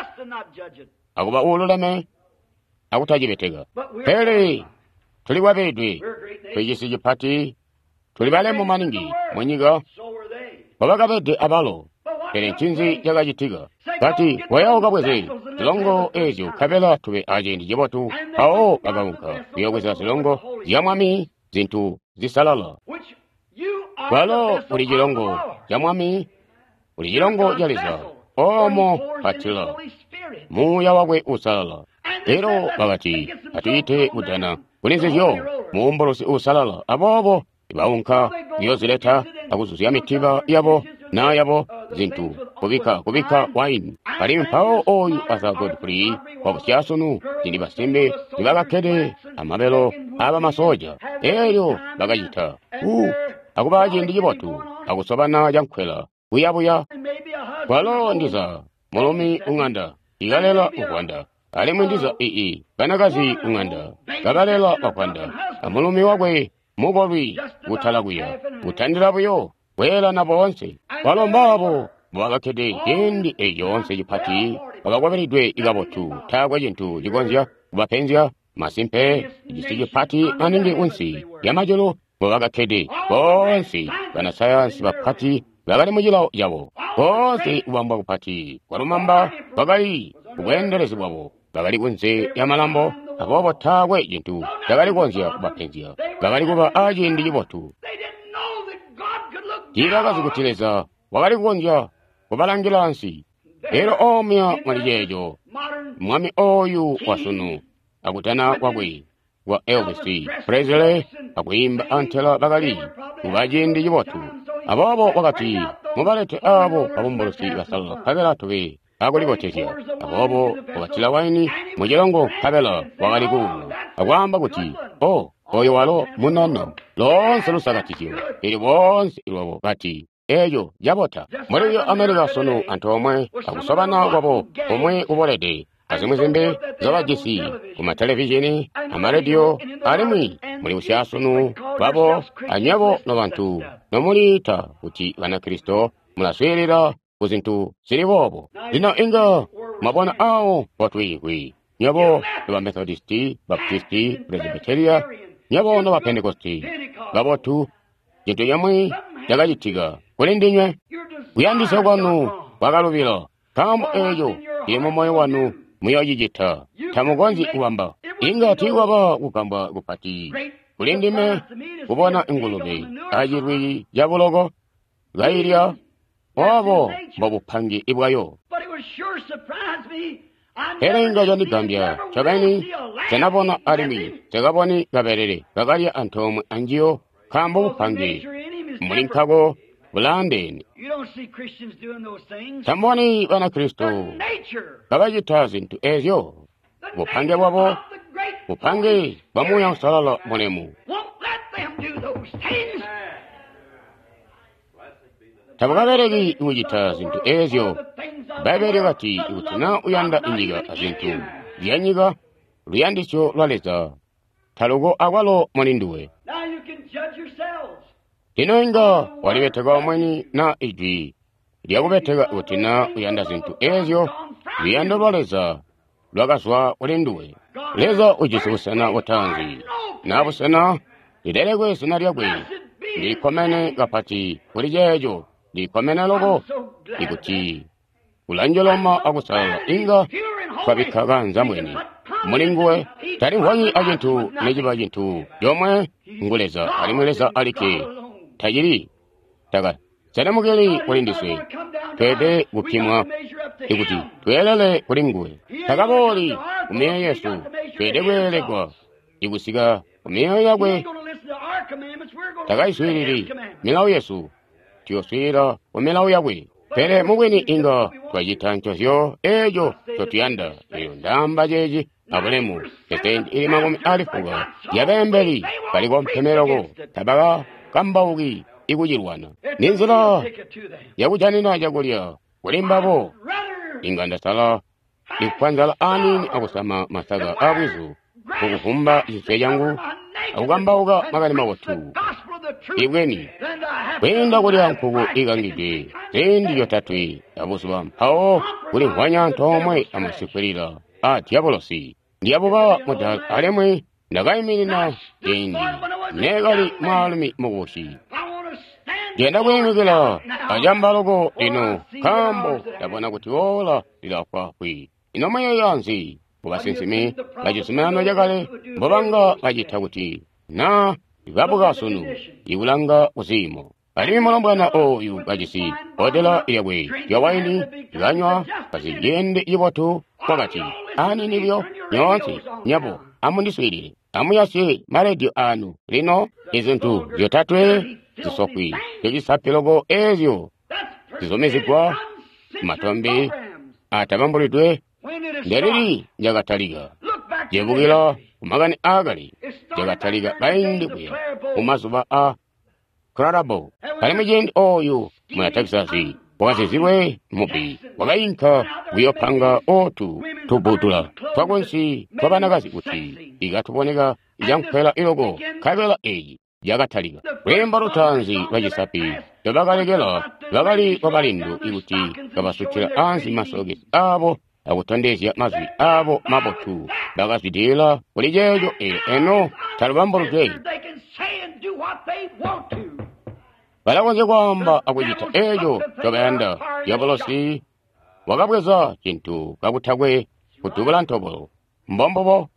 akuba uululeme akutacibeteka. Pele tuli kwabedwe twicisi cipati, tuli balemu maningi munyika mbobakabede abalo. Pele ncinzi cakacitika? Kati koya ukabweze zilongo ezyo nkabela tube aciindi cibotu. Mpawo bakaunka kuyoobweza zilongo zya Mwami, zintu zisalala. Kwalo uli cilongo ca Mwami, uli cilongo ca Leza omo patila muuya wakwe usalala. Lero bakati atuite kudana kuli nzizyo muumbulusi usalala. Aboobo baunka kuyozileta akuzuzya mitiba yabo naa yabo zintu kubika kubika waini. Alimwi mpawo oyu Arthur Godfrey wabusyasunu cindi basimbi nibakakkede amabelo aabamasoja elyo bakacita u akuba ciindi cibotu akusobana cankwela kuyabuya. Kwalo ndiza mulumi ung'anda ikalela ugwanda, alimwi ndiza ii banakazi ung'anda kabalela bagwanda, amulumi wakwe mukolwi kutala kuya kutandila buyo kweelana boonse. Kwalo mbaabo mbobakakkede ciindi eeci coonse cipati bakakwabilidwe ikabotu, taakwe cintu cikonzya kubapenzya. Masimpe cisi cipati maningi kunsi lyamajulu mbobakakkede boonse banasayansi bapati bakali mucilawo cabo. Boonse kubambwa kupati kwalumamba kwakali kubweendelezi bwabo, bakali kunze lyamalambo, aboobo taakwe cintu cakali kukonzya kubapenzya. Bakali kuba aciindi cibotu. Tiibakazi kuti Leza wakali kukonzya kubalangila ansi. Lero omya muli ceeco mwami oyu wasunu akutana kwakwe kwa Elvis Presley akwiimba antela bakali kuba ciindi cibotu. Aboobo wakati mubalete abo babumbulusi basalala nkabela tube akulibotezya. Aboobo wakatila waini mucilongo nkabela wakali kuuma akwaamba kuti o oyo walo munono loonse lusakatizyo ili boonse lwabo bati eeco cabota. Muli Amerika sunu antoomwe akusobana kwabo komwe kubolede azimwi zimbi zobajisi kumatelevizhini amarediyo, alimwi muli busyasunu bwabo anywebo nobantu nomuliita kuti Banakristo mulaswiilila ku zintu zili boobo. Lino inga mwabona awo mpotwiimvwi nywebo noba Methodisti, Baptisti, Presbyteria, nywebo noba Pentekosti kabotu, cintu cimwi cakacitika kuli ndinywe. Kuyandisya kwanu kwakalubila, nkaambo eeco cili mumoyo wanu muyoocicita. Tamukonzyi kubamba. Inga tiikwaba kugambwa kupati kuli ndime kubona ingulube acilwi cabuloko kailya Obo mbobupangi bwayo. Pele inga candigambya ncobeni nsenabona alimwi nsekaboni kabelele kakalya antoomwe anjiyo, nkaambo bupangi muli nkako bulaandeene. Tamboni Banakristo kabacita zintu ezyo. Bupange bwabo, bupange bwa Muuya Uusalala mulemu. Tabukabeleki kucita zintu ezyo. Bbaibbele lyakati kuti naa uyanda inyika azintu zyanyika, luyandisyo lwa Leza taluko akwalo muli nduwe. Lino inga walibeteka omwini naa ijwi lyakubeteka kuti naa uyanda zintu ezyo, luyando lwa Leza lwakazwa kuli nduwe. Leza ujisi busena butaanzi, naa busena lilelekwe zina lyakwe. Ndilikkomene kapati kuli ceeco, ndilikkomene loko ikuti ulanjoloma akusalala inga twabikka kaanzambwene muli nguwe. Talimvwanyi acintu neciba cintu comwe, ngu Leza alimwi Leza alikke. Tacili taka selemukeli kuli ndiswe, tweelede kupimwa ikuti tweelele kuli nguwe. Takabooli ku myoyo yesu, tweelede kweelegwa ikusika ku myoyo yakwe. Takaiswiilili milawo yesu, tuyoswiilila ku milawo yakwe. Pele mubwini inga twacita ncozyo eeco ncotuyanda. Eyo ndaamba ceeci abulemu. Peseenti ili makumi ali fuka yabeembeli bali kompeme loko, tabakakambauki ikucilwana. Ninzila yakujanina cakulya kuli mbabo. Inga ndasala ikufwa nzala aniini akusama masaka aabwizu mukuvumba cinswe cangu akukambauka makani mabotu ibweni, kwiinda kulya nkuku ikangidwe ziindi zyotatwe abuzuba mpawo kulimvwanya antoomwe amasikwilila a dyabolosi. Ndiyabuba mudaala alimwi ndakaiminina ciindi neekali mwaalumi mukubusi. Ndiyanda kwiimikila acamba loko lino, nkaambo ndabona kuti ola lilafwaafwi. Ino muyeeya nzi kubasinsimi bacizuminano cakale mbobanga bacita kuti naa babuka sunu ikulanga kuziimo? Alimwi mulombwana oyu kajisi bbodela lyakwe lya waini kanywa kaziyeende cibotu, wakati, "Aniini buyo nyoonse nyabo amundiswiilile, amuyasye marediyo anu lino." Izintu zyotatwe zisofwi zyocisapilo loko ezyo zizumizigwa matombe atabambulidwe. Ndelili lyakatalika jebukila kumakani aakale, lyakatalika kaindi kuya mumazuba a Clarabo. Alimwi ciindi oyu muna Texas wakazizilwe mubbi wakainka kuyopanga otu tubbudula twakunsi twabanakazi kuti ikatuboneka cankwela iloko, nkabela eyi yakatalika. Lwiimbo lutaanzi lwa cisapi ndobakalekela lwakali lwabalindu ikuti kabasutila ansi masokesi aabo akutondezya mazwi aabo mabotu. Bakazwidilila kuli ceeco eelyo eno talubambuludwe. Balakonzya kwaamba akucita eeco ncobayanda. Dyabolosi wakabweza cintu kakutakwe kudubula ntobolo. Mbombubo.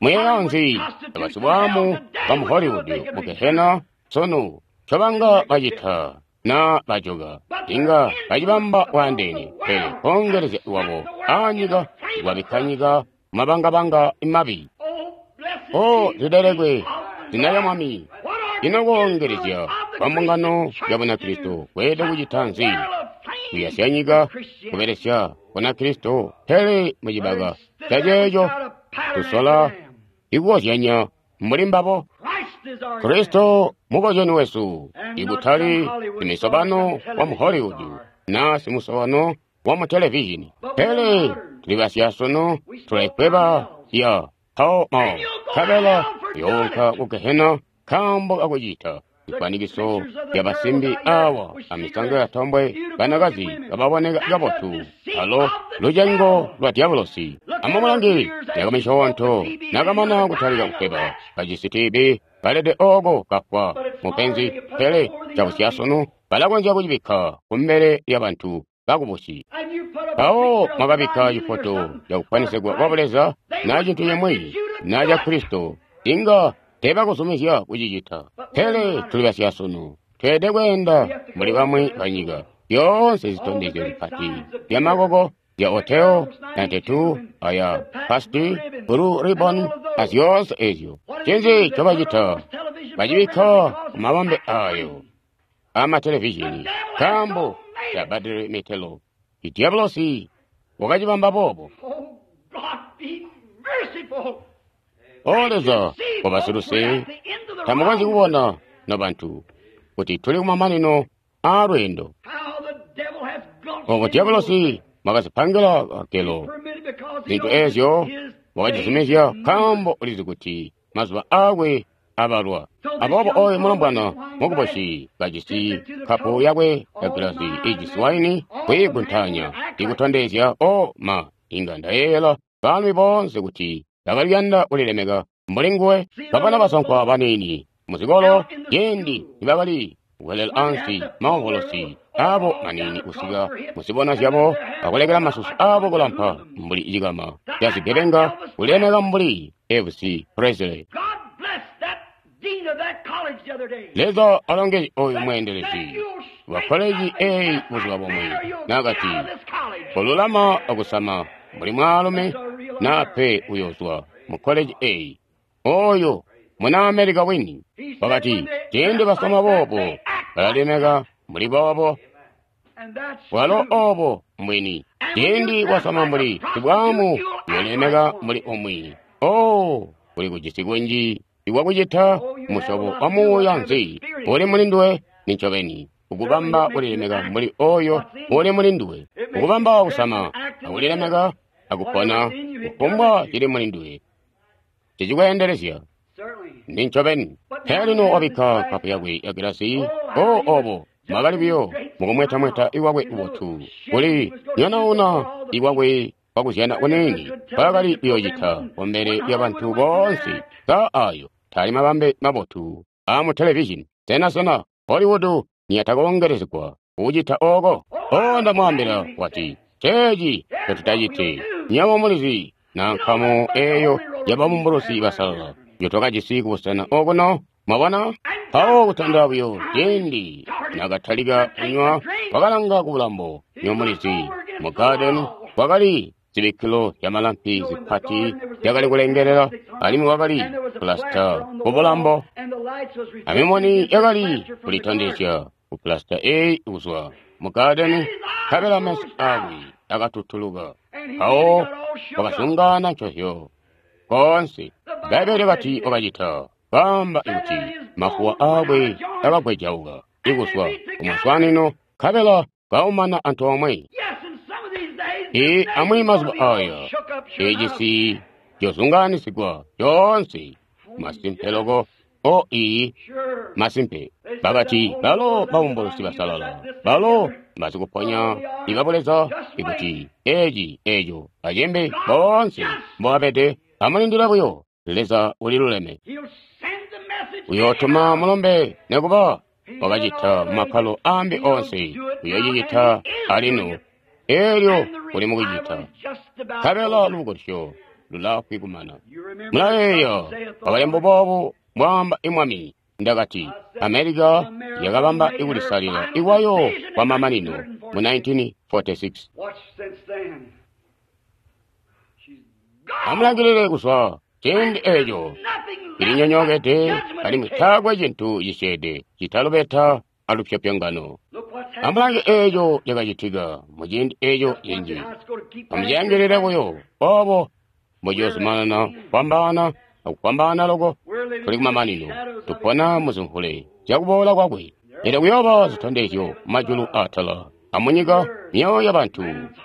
Muyeeya nzi abasibwaamu bamu Hollywood mu Gehena sunu ncobanga bacita naa bajoka? Inga bacibamba bwaandeene, pele koongelezya lwabo aanyika kwabikka nyika mabangabanga mabi. O lilelekwe zina lya Mwami. Ino koongelezya kwa mbungano ya Bunakristo kweelede kucita nzi? Kuyasya nyika kubelesya Bunakristo, pele mucibaka caceeco tusola ikukozyanya mbuli mbabo. Kristo mukozyani wesu, ikutali simisobano wa mu Hollywood naa simusobano wa mu televizhini, pele tuli basyasunu, tulaikweba ya Pall Mall, nkabela yoonka ku Gehena nkaambo kakucita zifwanikiso zya basimbi awa amisango ya tombwe, banakazi kababoneka kabotu, alo lucengo lwa dyabolosi. Amumulange myaka misyoonto nakamana kutalika kukweba, kajisi T B kalede ooko kafwa mupenzi, pele cabusyasunu balakonzya kucibikka kumbele lyabantu bakubusi. Mpawo mwakabikka cifoto cakufwanisegwa kwa Buleza naa cintu cimwi naa ca Kristo, inga teebakuzumizya kucicita. Pele tuli basyasunu, Tweelede kweenda mbuli bamwi banyika. Zyoonse zitondezyo zipati zyamakoko zya Hotel ninety-two aya Pasti Blue Ribbon azyoonse ezyo. Ncinzi ncobacita? Bacibikka kumabambe ayo amatelevizhini nkaambo tabbadeli mitelo. Idyabolosi wakacibamba boobo. O Leza wabasiluse, tamukonzyi kubona nobantu kuti tuli kumamanino aalweendo. Obo dyabolosi mwakazipangila kagelo zintu ezyo, wakacizumizya nkaambo ulizi kuti mazuba aakwe abalwa. Aboobo oyo mulombwana mukuboshi kajisi kapu yakwe ya gilasi ijisi waini kwiiguntanya ikutondezya o ma inga ndayeeyela baalumi boonse kuti bakali kuyanda kulilemeka mbuli nguwe. Babana basankwa baniini muzikolo ciindi nibakali kuwelela ansi maovolosi abo maniini kusika muzibona zyabo akulekela masusu abo kulampa mbuli cikama cazigebenga kulilemeka mbuli Elvis Presley. Leza alongeze oyu mweendelezi wa koleji eyi buzuba bumwe nakati kolulama akusama mbuli mwaalumi nape uyozwa mu koleji eyi. Oyo muna Amerika wini wakati ciindi basama boobo balalemeka mbuli boobo, walo obo mbwini. Ciindi wasama mbuli sibwamu uyolemeka mbuli umwi. Oh, uli kujisi kunji iwakucita musyobo wa muuya nzi uli muli nduwe nincobeni ukubamba kulilemeka mbuli oyo uli muli nduwe, ukubamba kusama akulilemeka akupona kufumbwa cili muli nduwe cicikweendelezya nincobeni. Pele lino wabikka nkapu yakwe ya gilasi. O obo mwakali buyo mukumwetamweta iwakwe ubotu kuli nyonauna iwakwe kwakuzyana kuniini kwakali kuyoocita kumbele lyabantu boonse. Ka ayo tali mabambe mabotu amu televizhini. Sena sena Hollywood niyatakongelezegwa kucita oko. O ndamwaambila wati ceeci ncotutacite. Nywebo mulizi na nkamu eyo yababumbulusi basalala yotwakajisi kubusena okuno. Mwabona? Mpawo kutandila buyo ciindi nakatalika kunywa, wakalanga kubulambo. Nywebo mulizi mu garden kwakali zibikkilo zyamalampi zipati zyakali kulengelela, alimwi wakali pulasita kubulambo, amimoni yakali kulitondezya ku pulasita eyi kuzwa mu garden. Nkabela meso akwe akatutuluka, mpawo wakazungaana ncozyo koonse. Bbaibbele kati wakacita kaamba ikuti mafuwa akwe akagwejauka ikuzwa kumaswanino, nkabela kaumana antoomwe. Ee, amwi mazuba aya ecisi cozungaanisigwa coonse masimpe loko. O iyi masimpe bakati balo babumbulusi basalala, balo basikuponya ibabuleza ikuti eci eco acimbi boonse mbobabede. Amulindile buyo, Leza uliluleme, uyootuma mulombe nekuba wakacita mumakkalo ambi onse, uyoocicita alino elyo uli mukucita. Nkabela lubukulusyo lulaafwi kumana. Mulayeeya wakalemba boobu mbwaamba imwami. Ndakati Amerika yakabamba ikulisalila iwayo kwa mamanino mu nineteen forty-six. Amulangilile kuzwa ciindi eco ilinyonyokede, alimwi taakwe cintu cisyeede citalubeta alupyopyongano. Amulange eco cakacitika muciindi eco cinji. Amuciyangilile buyo obo mbuciyozumanana kufwambaana akufwambaana loko. Tuli kumamanino, tupona muzimvule zyakuboola kwakwe. Elyo kuyooba zitondezyo majulu atala amunyika, myoyo yabantu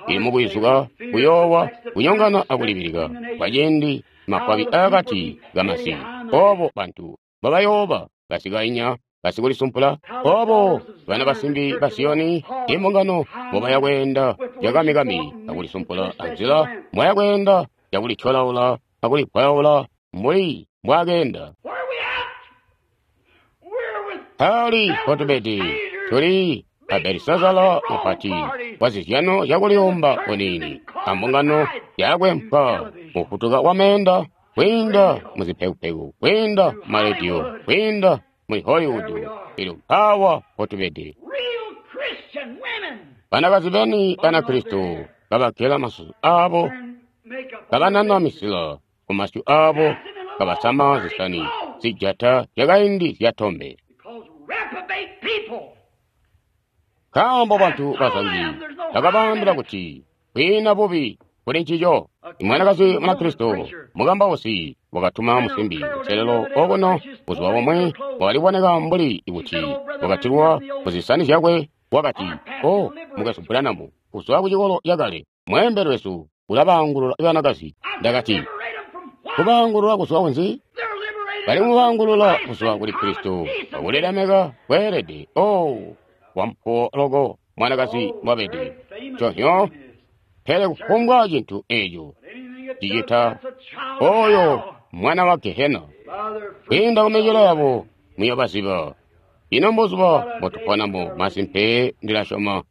ili mukwizuka, kuyoowa, kunyongana akulibilika kwaciindi mafwabi akati kamasi. Obo bantu babayooba basikainya basikulisumpula, obo bana basimbi ba Siyoni imbungano mbobaya kweenda yakamikami akulisumpula anzila mwaya kweenda yakulityolaula akulipwayaula mbuli mbwakeenda. Ali potubedi tuli a Belisazara mupati wa zizyano zyakuliyomba kuniini ambungano yakwempwa mufutuka wa meenda kwiinda muzipekupeku, kwiinda marediyo, kwiinda muli Hollywood. Elyo mpaawa mpotubede. Banakazi beni Banakristo kabagela masusu abo, kabanana misila ku masyu abo, kabasama zisani zijata zyakaindi zyatombe. Nkaambo bantu bazangi bakabaambila kuti kwiina bubi kuli ncico. Imwanakazi Munakristo mukambausi wakatuma musimbi kuselelo okuno buzuba bumwe wakali kuboneka mbuli kuti wakatilwa kuzisani zyakwe. Wakati, "O mukwesu Branham, kuzwa kucikolo cakale mweembeli wesu ulabaangulula banakazi." Ndakati, "Kubaangulula kuzwa kunzi? Bali mubaangulula kuzwa kuli Kristo akulilemeka kweelede." O wampuwo loko mwanakazi mwabede conyo, pele kufumbwa cintu eco cicita oyo mwana wa Gehena. Kwiinda kumicelo yabo muyobaziba. Ino mbuzuba mbotuponamo, masimpe ndilasyoma.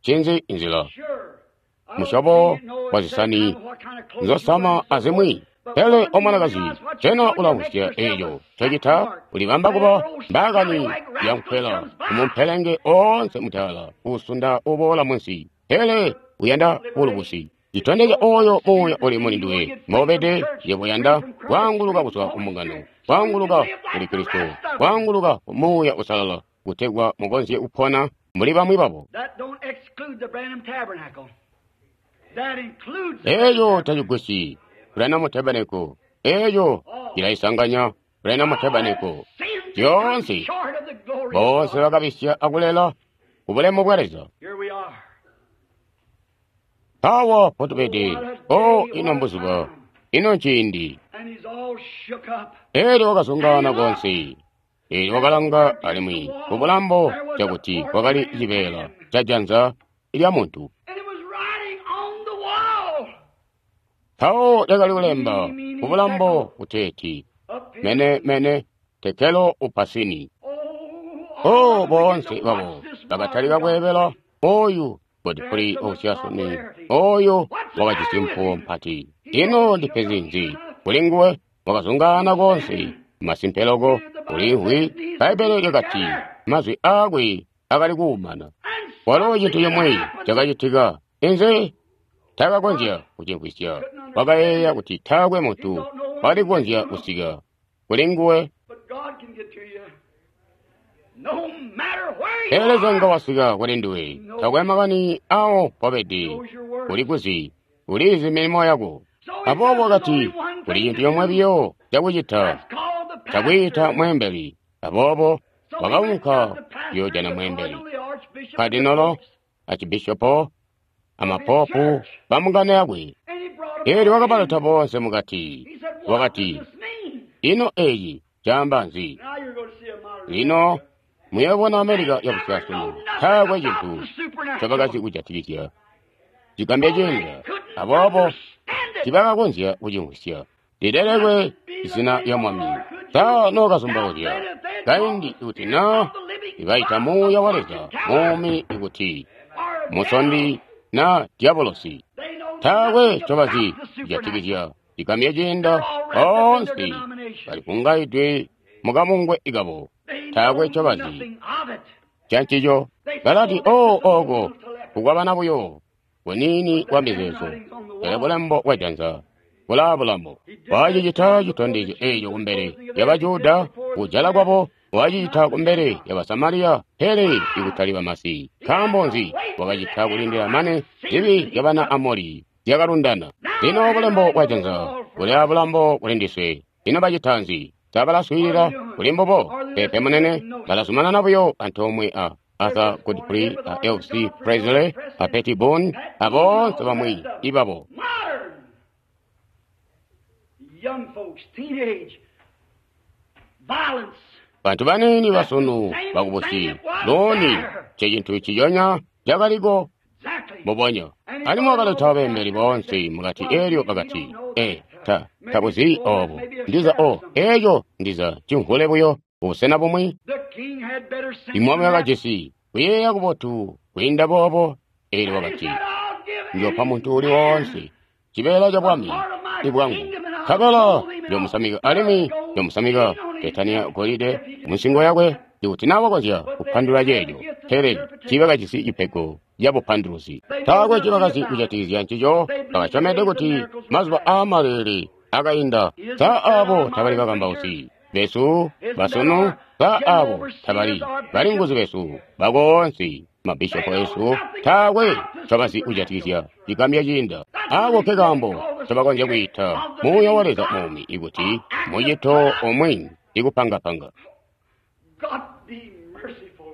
Ncinzi nzila musyobo wa zisani nzosama azimwi. Pele omwanakazi, sena ulamvwisya eco ncocita? Ulibamba kuba mbaakani yankwela kumumpelenge oonse mutaala uusunda uboola munsi, pele uyanda bulubusi. Citondezya oyo muuya uli muli nduwe mbobede. Yebo yanda kwaanguluka kuzwa ku mbungano, kwaanguluka kuli Kristo, kwaanguluka ku Muuya Uusalala, kutegwa mukonzye kupona mbuli bamwi babo. Eco tacigwisyi Branham Tabernacle. Eco cilaisanganya Branham Tabernacle. Zyoonse boonse bakabisya akulela ku bulemu bwa Leza. Mpawo potubede. O ino mbuzuba, ino nciindi. Elyo wakazungaana konse. Elyo wakalanga alimwi ku bulambo cakuti kwakali cibeela ca janza lya muntu. Mpawo lyakali kulemba ku bulambo kuteeti, "Mene mene tekelo upasini." O boonse babo bakatalika kweebela oyu Godfrey Osiasoni, oyo wakajisi mpuwo mpati. Ino ndipenzi nzi kuli nguwe? Wakazungaana konse. Masimpe loko ulimvwi. Bbaibbele lyakati mazwi aakwe akali kuumana. Walo cintu cimwi cakacitika inze takakonzya kucimvwisya. Wakayeeya kuti taakwe muntu wakali kukonzya kusika kuli nguwe. Pele Leza nga wasika kuli nduwe, takwe makani awo mpobede, uli kuzi, ulizi milimo yako. Aboobo wakati kuli cintu comwe biyo cakucita, cakwiita mweembeli. Aboobo wakaunka kuyoojana mweembeli, kadinolo, acibishopo, amapopu bamungano yakwe. Elyo wakabaleta boonse mukati. Wakati, "Ino eci caamba nzi?" Lino muyobona Amerika yabusyasunu taakwe cintu ncobakazi kujatikizya cigambya ciinda, aboobo tibakakonzya kucimvwisya. Lilelekwe zina lya Mwami. Sa nookazumbauzya kaindi kuti na ibaita Muuya wa Leza muumi ikuti musondi na dyabolosi? Taakwe ncobazi kujatikizya cigambya ciinda. Boonse balikungaidwe mukamungwe ikabo, taakwe ncobazi cancico. Balati, "O oko kukwabana buyo kuniini kwa mizeezo," pele bulambo bwa janza bulaa bulambo. Wacicita citondezyo eco kumbele lya Bajuda, kujala kwabo. Wacicita kumbele lya Basamariya, pele ikutali bamasi. Nkaambo nzi? Wakacita kulindila mane zibi zyabana Amori zyakalundana. Lino bulembo bwa janza buli abulambo kuli ndiswe. Ino bacita nzi? Sa balaswiilila kuli mbubo? Peepe munene, balazumanana buyo antoomwe a Arthur Godfrey, a L C Presley, a Petty Boone, a boonse bamwi ibabo. Bantu baniini basunu bakubusi looni ncecintu ciyonya cakaliko mbubonya. Alimwi wakaleta beembeli boonse mukati. Elyo bakati, "E, ta tabuzi obo. Ndiza o eco ndiza cimvule buyo kubusena bumwi." Imwami wakajisi kuyeeya kubotu kwiinda boobo. Elyo wakati, "Njopa muntu uli woonse cibeela ca bwami ibwangu, nkabela njomusamika alimwi njomusamika ketani ya golide munsingo yakwe, ikuti na wakonzya kupandulula ceeco, pele tiiba kajisi cipego ya bupanduluzi. Taakwe cibakazi kujatikizya ncico, bakasyomede kuti mazuba aamaleele akainda. Sa abo tabali bakambausi besu basunu? Sa abo tabali balinguzi besu bakoonse, mabishopo esu? Taakwe ncobazi kujatikizya cigambya ciinda. Ako ke kaambo ncobakonzya kwiita Muuya wa Leza muumi ikuti mucito omwe ikupangapanga. God be merciful.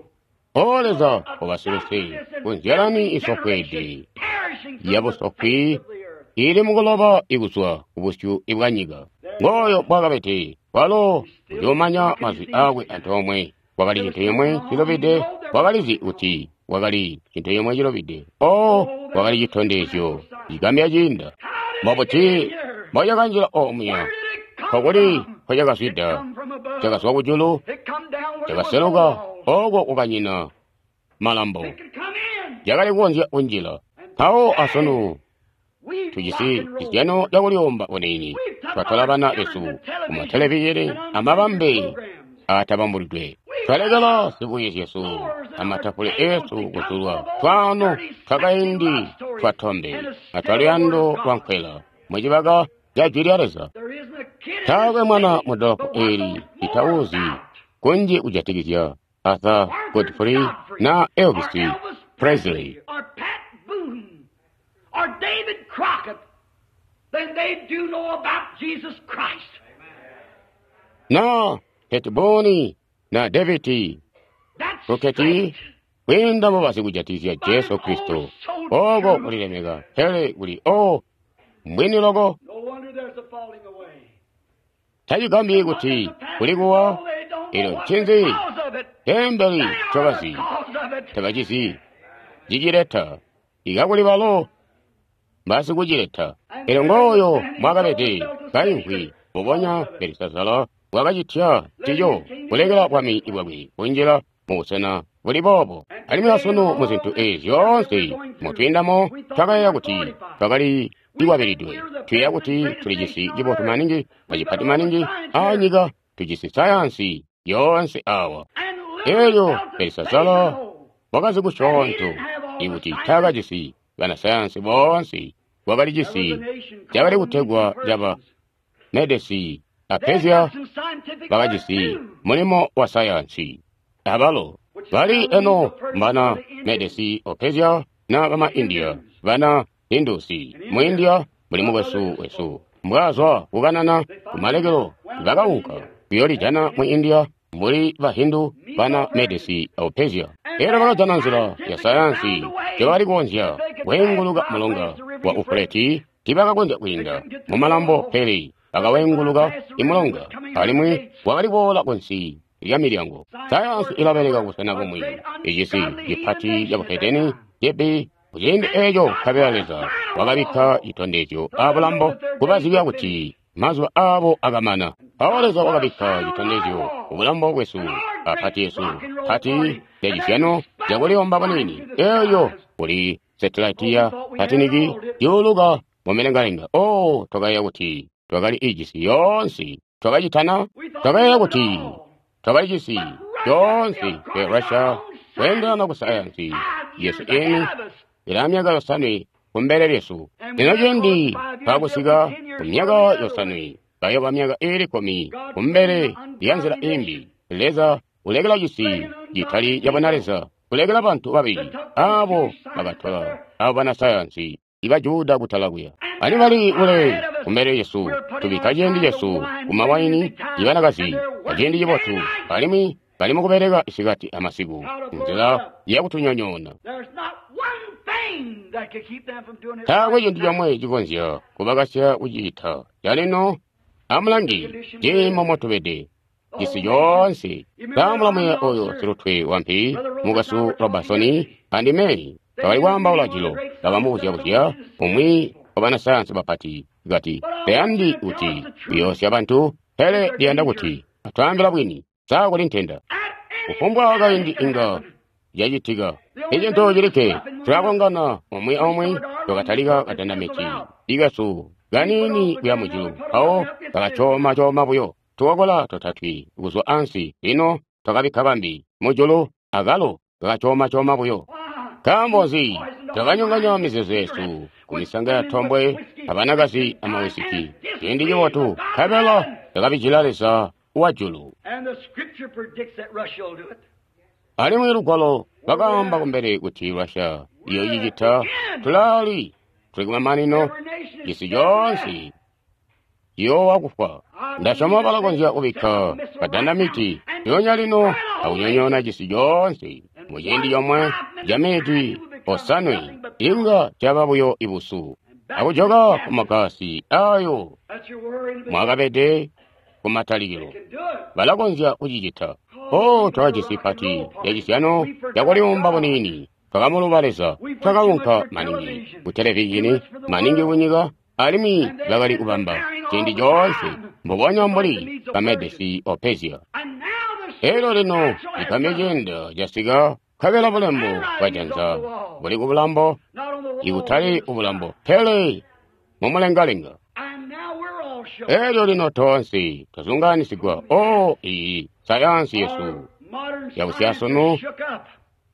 O Leza, ubasiluse kunzyalani isofweede yabusofwi ili mukuloba ikuzwa kubusyu bwa nyika. Ngooyo bwakabete walo uyoomanya mazwi akwe antoomwe. Kwakali cintu cimwe cilobide, wakalizi kuti wakali cintu cimwe cilobide. O, wakali citondezyo cigambya ciinda. Mbobuti mbocakanjila omuya? Nkokuli nkocakazwida? Cakazwa kujulu, cakaseluka oko kukanyina malambo, cakali kukonzya kunjila. Mpawo asunu tujisi cizyano cakuliyomba buniini, twatola bana besu kumatelevizhini amabambe aatabambulidwe. Twalekela zibuye zyesu amatafule esu kuzulwa twaano twakaindi twatombe atwaluyando lwa nkwela mucibaka ca Jwi lya Leza. Taakwe mwana mu dolopo eli litawuzi kunji kujatikizya Arthur Godfrey na Elvis Presley Or Pat Boone or David Crockett than they do know about Jesus Christ. na Pat Boone na David That's Crockett straight. kwiinda mubazi kujatikizya Jesu Kristo. Oko kulilemeka pele kuli o mbwini loko. No wonder there's a falling away. Tacigambyi kuti kuli kuwa ilo ncinzi tembeli ncobazi tabacizi cicileta ikakuli balo basikucileta. Elyo ngooyo mwakabede kaimvwi mubonya Belisazara bwakacitya ncico kulekela bwami bwakwe kunjila mubusena buli boobo. Alimwi asunu mu zintu ezi zyoonse mutwiindamo twakayeeya kuti twakali likwabilidwe. Tuyeeya kuti tulijisi cibotu maningi acipati maningi aanyika, tujisi sayansi yoonse awa. Elyo Belisazara wakazi kusyoonto ikuti taakajisi banasayansi boonse, wakalijisi cakali kutegwa caba Medesi a Persia bakajisi mulimo wa sayansi. Abalo bali eno mbana Medesi o Persia na bama India, bana Hindusi. Mu India muli mukwesu wesu mbwazwa kukanana kumalekelo bakaunka kuyolijana mu India mbuli ba Hindu bana Medesi o Persia. Elyo bakajana nzila ya sayansi njobakali kukonzya kweenguluka mulonga wa Ufuleti. Tiibakakonzya kwiinda mumalambo pele bakawenguluka imulonga, alimwi wakali kuboola kunsi lya milyango. Sayansi ilabeleka kubusena bumwi, icisi cipati cabuhedeni cibi kuciindi eeco nkabela Leza wakabikka citondezyo abulambo kubazibya kuti mazuba aabo akamana. Mpawo Leza wakabikka citondezyo kubulambo bwesu apati yesu pati lyacizyano cakuliyomba buniini eeyo kuli setilaiti ya tatiniki yuuluka mumilengalenga. O, twakayeeya kuti twakali ijisi yoonse, twakacitana, twakayeeya kuti twakalijisi yoonse. Pe Russia kweendelana ku sayansi yesu eni ilaa myaka yosanwe kumbele lyesu. Lino ciindi twakusika ku myaka yosanwe bayoba myaka iili kkumi kumbele lya nzila imbi. Leza ulekela cisi citali cabona Leza kulekela bantu babili abo bakatola abo banasayansi iba Juda kutala kuya. Ani bali kule kumbele yesu, tubikka ciindi cesu kumawaini ibanakazi aciindi cibotu, alimwi bali mukubeleka isikati amasiku nzila yakutunyonyoona. There's not one thing that could keep them from doing it. Taakwe cintu comwe cikonzya kubakasya kucita. Calino amulangi ciimo motubede cisi coonse. Kaamulamuya oyo silutwe wampi mukwesu Robertson andime twakali kwaambaula jilo, bakamubuzya-buzya umwi wa banasayansi bapati kati, tayandi kuti kuyoosya bantu, pele liyanda kuti atwaambila bwini. Sa kuli ntenda kufumbwa kaindi inga yacitika. Icintu cilikke tulakongana umwi aumwi, twakatalika kadandamiti ikesu kaniini kuya mujulu, mpawo kakacoma-coma buyo. tukokola totatwi kuzwa ansi. Lino twakabikka bambi mujulu, akalo kakacooma-cooma buyo. Nkaambo nzi? Twakanyonganya mizeezo yesu kumisanga ya tombwe abanakazi amawisiki. Ciindi cibotu, nkabela twakabijila Leza wa julu. Alimwi lugwalo lwakaamba kumbele kuti Russia iyoocicita. Tulaali tuli kumamanino, cisi coonse ciyoowa kufwa. Ndasyoma balakonzya kubikka badandamiti lyoonya lino akunyonyoona cisi coonse muciindi comwe ca miniti osanwe, inga caba buyo ibusu akujoka ku magasi ayo mwakabede kumatalikilo. Balakonzya kucicita. Oh, twakajisi pati yacisyano cakuliumba buniini. Twakamuluba Leza, twakaunka maningi ku televizhini, maningi kunyika, alimwi bakali kubamba ciindi coonse mbubonya mbuli Bamedesi o Persia. Elyo lino cigambyo ciinda casika, nkabela bulembo bwajanza buli ku bulambo, ikutali kubulambo, pele mumulengalenga. Elyo lino toonse twazungaanisigwa. Oh, iyi sayansi yesu yabusyasunu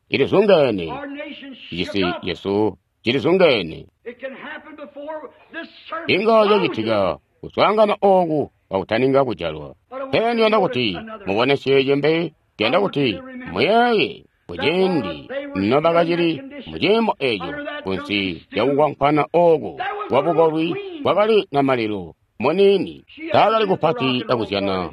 ilizungeene, cisi yesu cilizungeene. Inga cacitika kuswaangana ooku kakutaninga kujalwa. Pele ndiyanda kuti mubonesye cimbi, ndiyanda kuti muyeeye kuciindi nobakacili muciimo eeco kunsi lyakukwankwana ooku kwabukolwi kwakali namalilo muniini. Taakali kupati akuzyana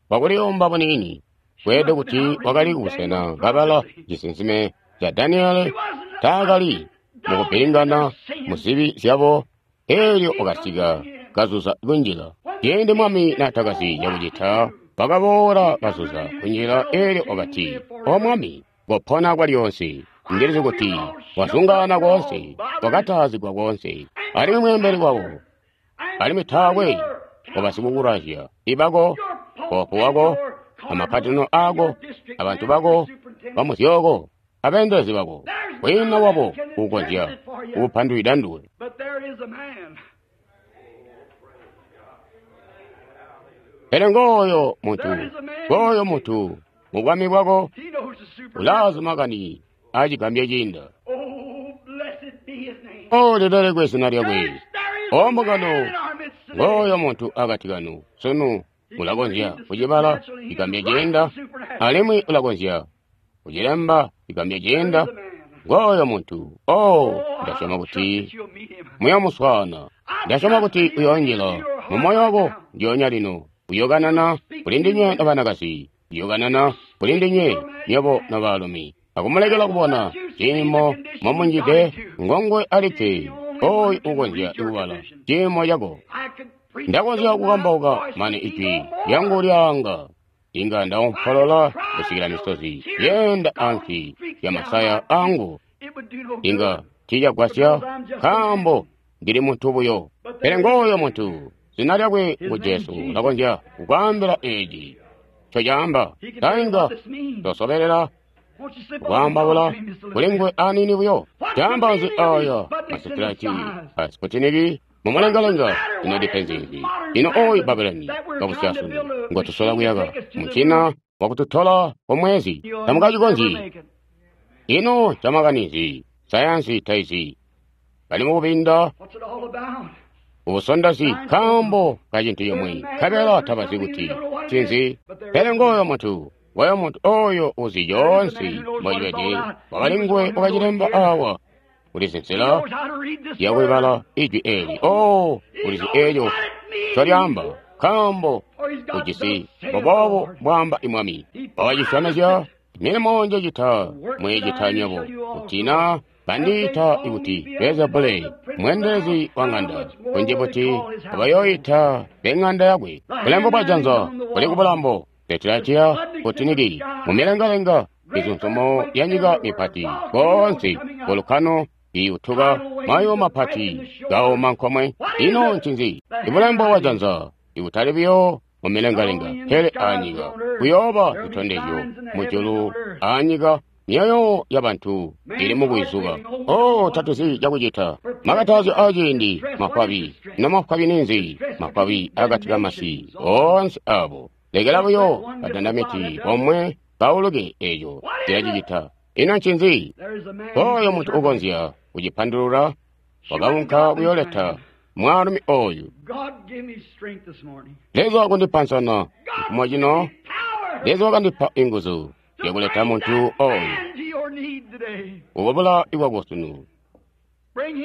kwakuliyomba buniini. Kweelede kuti wakali kubusena kabala cisinsime ca Daniele. Taakali mukupilingana muzibi zyabo. Elyo wakasika kazuza kunjila. Ciindi mwami naatakazi cakucita, wakaboola kazuza kunjila. Elyo wakati, O mwami, kopona kwalyoonse. Ndilizi kuti wazungaana koonse, wakataazigwa koonse, alimwi mweembeli wabo, alimwi taakwe wabasikukulazya ibako, poopo wako, amakatino ako, abantu bako bamuzyooko, abeendelezi bako, kwiina wabo uukonzya kukupandwida nduwe. Pele ngooyo muntu, ngooyo muntu mu bwami bwako ulaazi makani aacigambyo ciinda. O lilelekwe zina lyakwe. O mbungano, ngooyo muntu akati kanu sunu ulakonzya kucibala cigambyo ciinda, alimwi ulakonzya kucilemba cigambyo ciinda. Ngooyo muntu. Oh, ndasyoma kuti muyomuswaana. Ndasyoma kuti uyoonjila mu moyo wako ndyoonya lino. Uyokanana kuli ndinywe nobanakazi, uyokanana kuli ndinywe nywebo nobaalumi, akumulekela kubona ciimo momunjide. Ngongwe alikke oyu ukonzya kubala ciimo cako. Ndakonzya kukambauka mane ijwi lyangu lyaanga, inga ndaompolola kusikila misozi yeenda ansi ya masaya angu. Inga tiicagwasya, nkaambo ndili muntu buyo. Pele ngooyo muntu, zina lyakwe ngu Jesu, ulakonzya kukwaambila eeci ncocaamba. Tainga tosobelela kwaambaula kuli nguwe aniini buyo. Caamba nzi aya masitilaki a Sputnik mumulengalenga? Ino ndipenzi nzi? Ino oyu Babuloni kabusyasunu ngotusola kuyaka mucina wakututola kumwezi tamukacikonzyi. Ino camakani nzi? Sayansi taizi. Bali mukubinda ubusondosi nkaambo ka cintu cimwi, nkabela tabazi kuti ncinzi. Pele ngooyo muntu, ngooyo muntu oyo uzi coonse mbocibede. Wakali nguwe wakacilemba awa. Ulizi nzila yakulibala ijwi eli. Oh, ulizi eeco ncolyaamba, nkaambo ujisi mbuboobu bwaamba imwami. Wakacisyomezya, milimo njecita mweecita nywebo, kuti naa bandiita ikuti Beelzebule, mweendelezi wa ŋanda, kunji buti abayooita beŋanda yakwe. Bulembo bwajanza buli kubulambo, Petrarchia Putiniki, mumilengalenga, mizunzumo ya nyika mipati, koonse volukano iyutuka, mayo mapati gaoma nkomwe. Ino ncinzi? Ibulembo bwajanza ikutali buyo mumilengalenga, pele anyika. Kuyooba zitondezyo mujulu anyika. Myoyo yabantu ili mukwizuka. Oh, tatuzi cakucita. Makatazyo aciindi mafwabi. Ino mafwabi ninzi? Mafwabi akati kamasi oonse abo Lekela buyo kadandamiti komwe kauluke, eco cilacicita. Ino ncinzi? Oyo muntu ukonzya kucipandulula wakaunka kuyooleta mwaalumi oyu. Leza wakandipa nsana cifumo cino. Leza wakandipa inguzu zyakuleta muntu oyu ukubula ikwako sunu,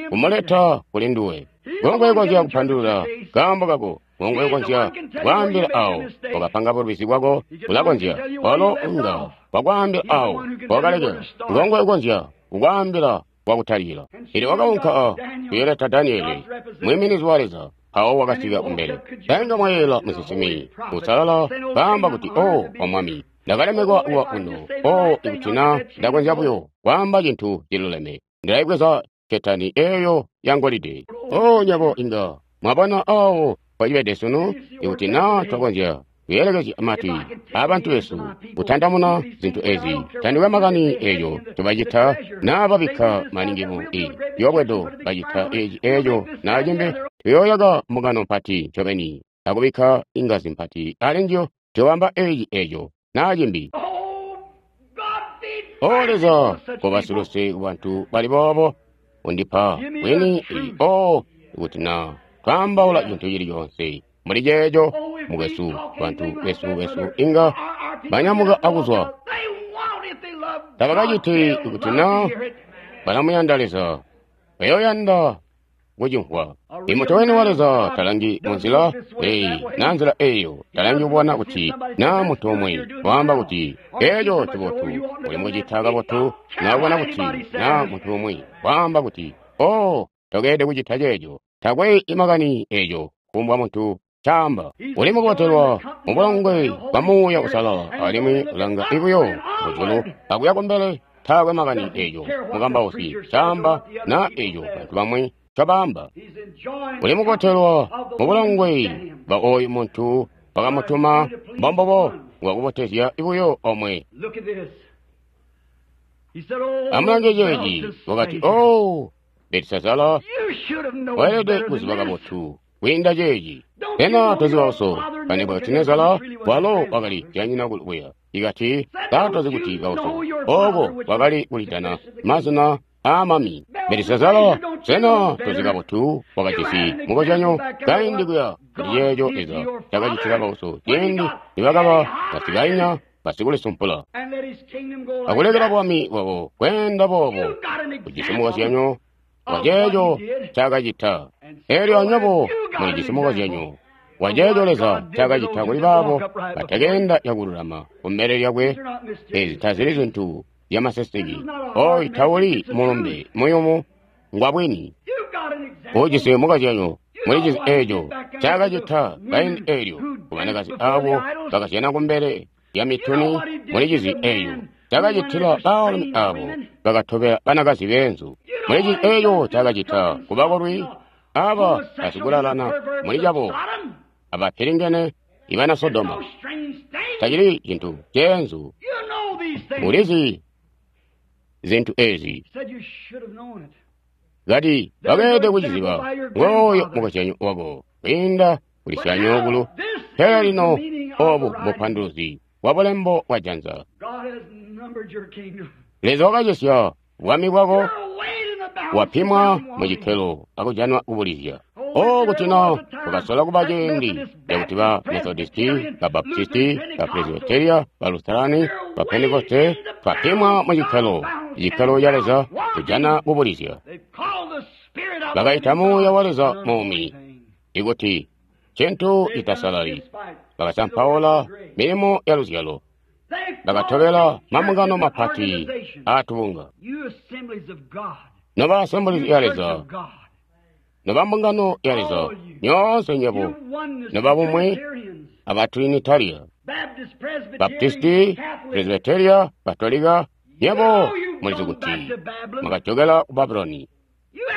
kumuleta kuli nduwe. Ngongwe ukonzya kupandulula kaambo kako, ngongwe ukonzya kwaambila awo wakapanga bulubizi bwako, ulakonzya walo unga wakwaambila awo wakalekela, ngongwe ukonzya kukwaambila wakutalikila. Elyo wakaunka kuyoleta Daniele, mwiiminizi wa Leza, awo wakasika kumbele. Tainga mwayeela musinsimi usalala kaamba kuti, o wa Mwami, ndakalemekwa kuwa kuno. O, ikuti na ndakonzya buyo kwaamba cintu ciluleme, ndilayibweza ketani eyo ya ngolide. O, nyabo inga mwabona awo mpocibede sunu, ikuti na twakonzya kuyelekezya matwi abantu besu kutandamuna zintu ezi. Tandikwe makani eyo tubacita naa babikka maningi mu i yobwedo, bacita eci eco naa cimbi, tuyooyaka mbungano mpati ncobeni akubikka ingazi mpati alinjiyo, tuyobamba eci eco naa cimbi. O Leza, koba siluse kubantu bali boobo, undipa bwini. O, ikuti na twaambaula cintu cili coonse muli ceeco, mukwesu, bantu besu besu inga banyamuka akuzwa. Tabakaciti ikuti na balamuyanda Leza, bayoyanda kucimvwa. Imuntu wene wa Leza talangi munzila eyi na nzila eyo, talangi kubona kuti na muntu umwe waamba kuti eco cibotu, uli mukucita kabotu, na kubona kuti na muntu umwe waamba kuti, o, tokeede kucita ceeco, takwe imakani eco kumbwa muntu caamba. Uli mukubotelwa mubulongwe bwa Muuya Usalala, alimwi ulanga ibuyo mujulu akuya kumbele, taakwe makani eco mukambausi caamba na eco bantu bamwi cabaamba. Uli mukubotelwa mubulongwe bwa oyu muntu wakamutuma, mbombobo bwakubotezya ibuyo omwe. Amulange ceeci, wakati, o, Belisazara, weelede kuziba kabotu kwiinda ceeci. Sena tozi bauso Nebukadinezara walo wakali janyina kuya ikati katozi kuti bauso ooko wakali kulitana mazina aamami. Belisazara, sena tozi kabotu wakajisi mukozyanyo kaindi kuya kuti ceeco Leza cakacitila bauso ciindi nibakaba basikainya basikulisumpula akulekela bwami bwabo kweenda boobo. Ujisi mukozyanyo waceeco cakacita. Elyo anywebo mulijisi mukozyanyo waceeco Leza cakacita kuli baabo batekeenda cakululama kumbele lyakwe. Ezi tazili zintu zyamaseseke. Oyu tawuli mulumbe muyumu, ngwa bwini. Ujisi mukozyanyo mulijizi eeco cakacita kaindi eelyo kubanakazi aabo bakazyana kumbele lya mituni. Mulijizi eeyo cakacitila baalumi aabo bakatobela banakazi beenzu. Mulijizi eeyo cakacita kubakolwi aba basikulalana muli cabo abapilingene ibana Sodoma. Tacili cintu ceenzu. Mulizi zintu ezi kati bakeede kuciziba ngooyo mukozyanyo wako kwiinda kuli syanyokulu. Pele lino obu bupanduluzi bwa bulembo bwa janza. Leza wakacesya bwami bwako, wapimwa mucikkelo akujanwa kubulizya. O, kuti na kukasola kuba ciindi cakuti ba Methodisti, ba Baptisti, ba Presbyteria, ba Lutherani, ba Pentekoste twapimwa mucikkelo, icikkelo ca Leza kujana kubulizya. Bakaita Muuya wa Leza muumi ikuti cintu citasalali. Bakasampaula milimo ya luzyalo. Bakatobela mambungano mapati aatubunga. Noba Assemblies ya Leza, noba mbungano ya Leza, nyoonse nywebo, noba bumwi aba Trinitaria, Baptisti, Presbyteria, Katolika, nywebo mulizi kuti mwakajokela ku Babuloni,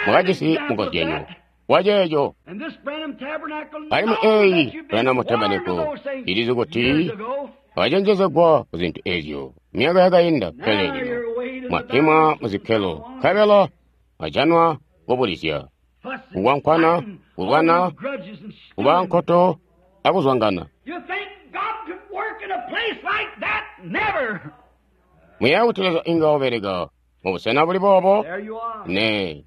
mwakajisi mukozyanyo waceeco. Alimwi eeyi Branham Tabernacle ilizi kuti mwacenjezegwa ku zintu ezyo myaka yakainda, pele lino mwapimwa muzikkelo nkabela mwajanwa kubulizya, kukwankwana, kulwana, kuba nkoto akuzwangana. Muyeeya kuti Leza inga ubeleka mubusena buli boobo? Nee.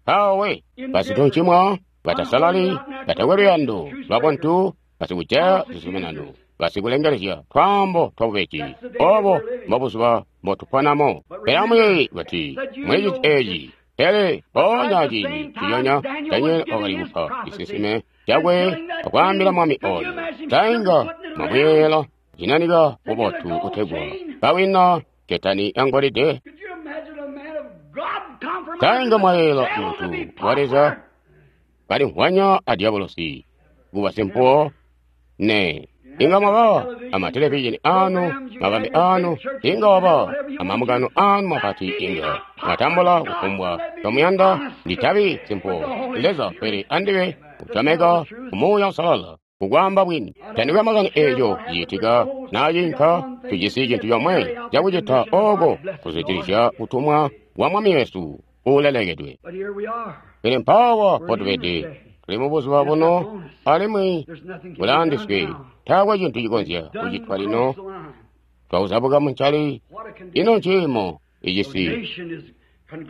Mpaawe basituncimwa, batasalali, batakwe luyando lwabuntu, basikujaya zizuminano, basikulengelezya twaambo twabubeji. Obo mbobuzuba mbotuponamo. Pele amuyeeye kuti mwiciti eeci. Pele mpoonya ciindi nciconya Daniele wakali kupa cisinsime cakwe akwaambila mwami oyo. Tainga mwamuyeeyela cinanika bubotu kutegwa kawina ketani yangolide. Tainga mwayeeyela muntu wa Leza kalimvwanya a diabolosi kuba simpuwo? Nee. Inga mwaba amatelevizhini anu, mabambe anu, inga waba amamugano anu mapati, inga mwatambula kufumbwa tomuyanda. Nditabi simpuwo Leza, pele andibe kutameka kumuuya usalala kukwamba bwini. Tandikwe makani eeco ciitika nacinka, tujisi cintu comwe cakucita oko kuzwidilizya kutumwa kwa Mwami wesu uulelekedwe. Pele mpaawa potubede, tuli mubuzuba buno, alimwi bulaandiswe. Taakwe cintu cikonzya kucitwa lino. Twauzabuka muncali. Ino nciimo icisi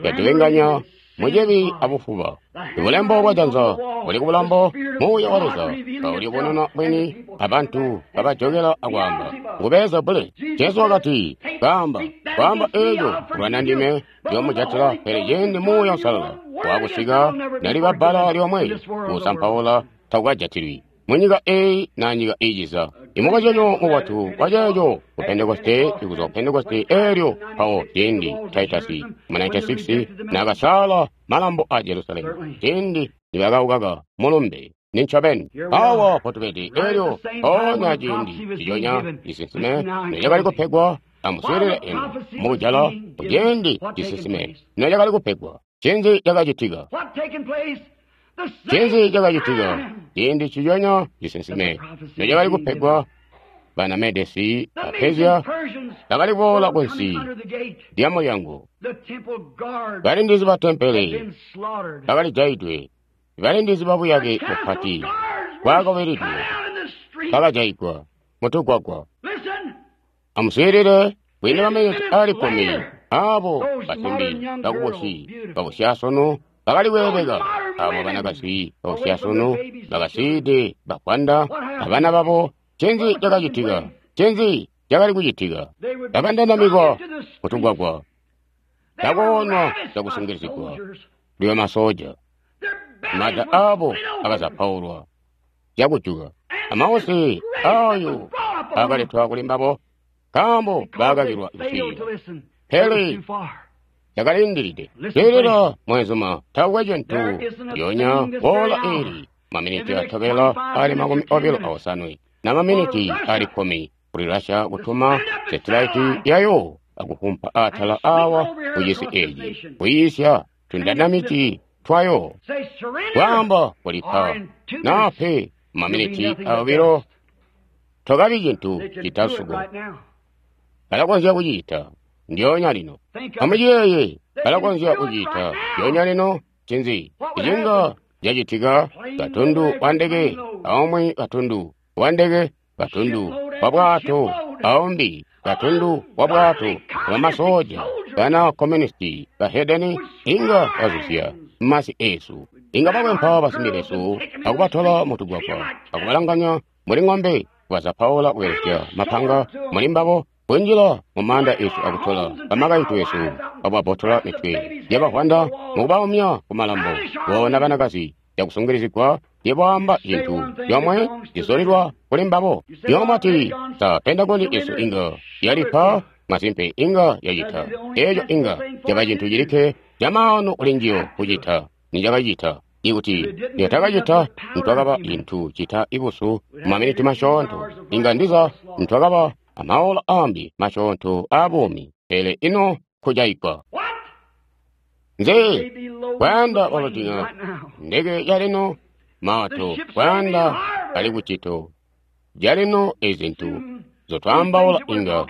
catubinganya mucibi abufuba. Ibulembo bwajanza buli kubulambo, muuya wa Leza kaulibonena bwini, abantu kabajokela akwaamba ngu Beelzebule. Jesu wakati, kaamba kwaamba eeco kulwana ndime ndiyomujatila, pele ciindi Muuya Uusalala waakusika, naliba bbala lyomwe kusampaula takukajatilwi munyika eeyi na nyika iiciza. Imukozyanyo mubotu waceeco ku Pentekoste, ikuzwa ku Pentekoste eelyo mpawo ciindi Titus mu ninety-six naakasaala malambo a Jerusalemu, ciindi nibakaukaka mulumbe. Nincobeni awa potubede eelyo mpoonya ciindi ciconya cisinsime nocakali kupegwa. Amuswiilile eno mukujala kuciindi cisinsime nocakali kupegwa. Cinzi cakacitika? Cinzi cakacitika? Ciindi ciconya cisinsime nocakali kupegwa, bana Medesi a Persia bakali kuboola kunsi lya mulyango. Balindizi ba tempele bakalijaidwe. Balindizi ba buyake bupati bwakabeledwe bakajaigwa mutugwagwa. Amuswiilile kwiinda maminiti ali kkumi, abo basimbi bakubusi babusyasunu bakali kweebeka, abo banakazi babusyasunu bakasiide bakwanda abana babo. Ncinzi cakacitika? Ncinzi cakali kucitika? Bakandandamikwa kutugwagwa, takoonwa cakusungilizigwa liwe masoja. Mada abo akazapaulwa cakujuka, amausi ayo akaletwa kuli mbabo nkaambo baakakilwa kuswiilila. Pele cakalindiride. Swiilila mwenzuma, taakwe cintu lyonya boola eeli maminiti atobela ali makumi obilo aosanwe na maminiti ali kkumi kuli Russia kutuma setilaiti yayo akufumpa atala awa kucisi eeci kuyiisya tundandamiti twayo kwaamba kulipa nape maminiti obilo tokabi cintu citasuko. Balakonzya kucita ndyonya lino. Amuciyeeye, balakonzya kucita ndyonya lino. Cinzi icinga cacitika? Katundu wa ndeke aumwi, katundu wa ndeke, katundu wa bwato aumbi, katundu wa bwato wa masoja bana komunisti bahedeni inga bazuzya masi esu. Inga bakwempa basimbi besu akubatola mutugwagwa akubalanganya muli ng'ombe, kubazapaula kubelesya mapanga muli mbabo, kunjila mumanda esu akutola bamakaintu esu akubabotola mitwe yabahwanda mukubaumya kumalambo. Boona banakazi cakusungilizigwa yebwaamba cintu yomwe cizulilwa kuli mbabo. Yomwe sa Pentagoni esu inga yalipa masimpe inga yacita eeco inga caba cintu cilikke camaano kuli njiyo kucita nicakacita. Ikuti niyatakacita, ntwakaba cintu cita ibusu mumaminiti masyoonto. Inga ndiza ntwakaba amaola ambi masyoonto aabuumi. Pele ino kujaigwa nze kwayanda balotinga ndeke yalino maato kwayanda ali kucito jalino ezintu zotwambaula inga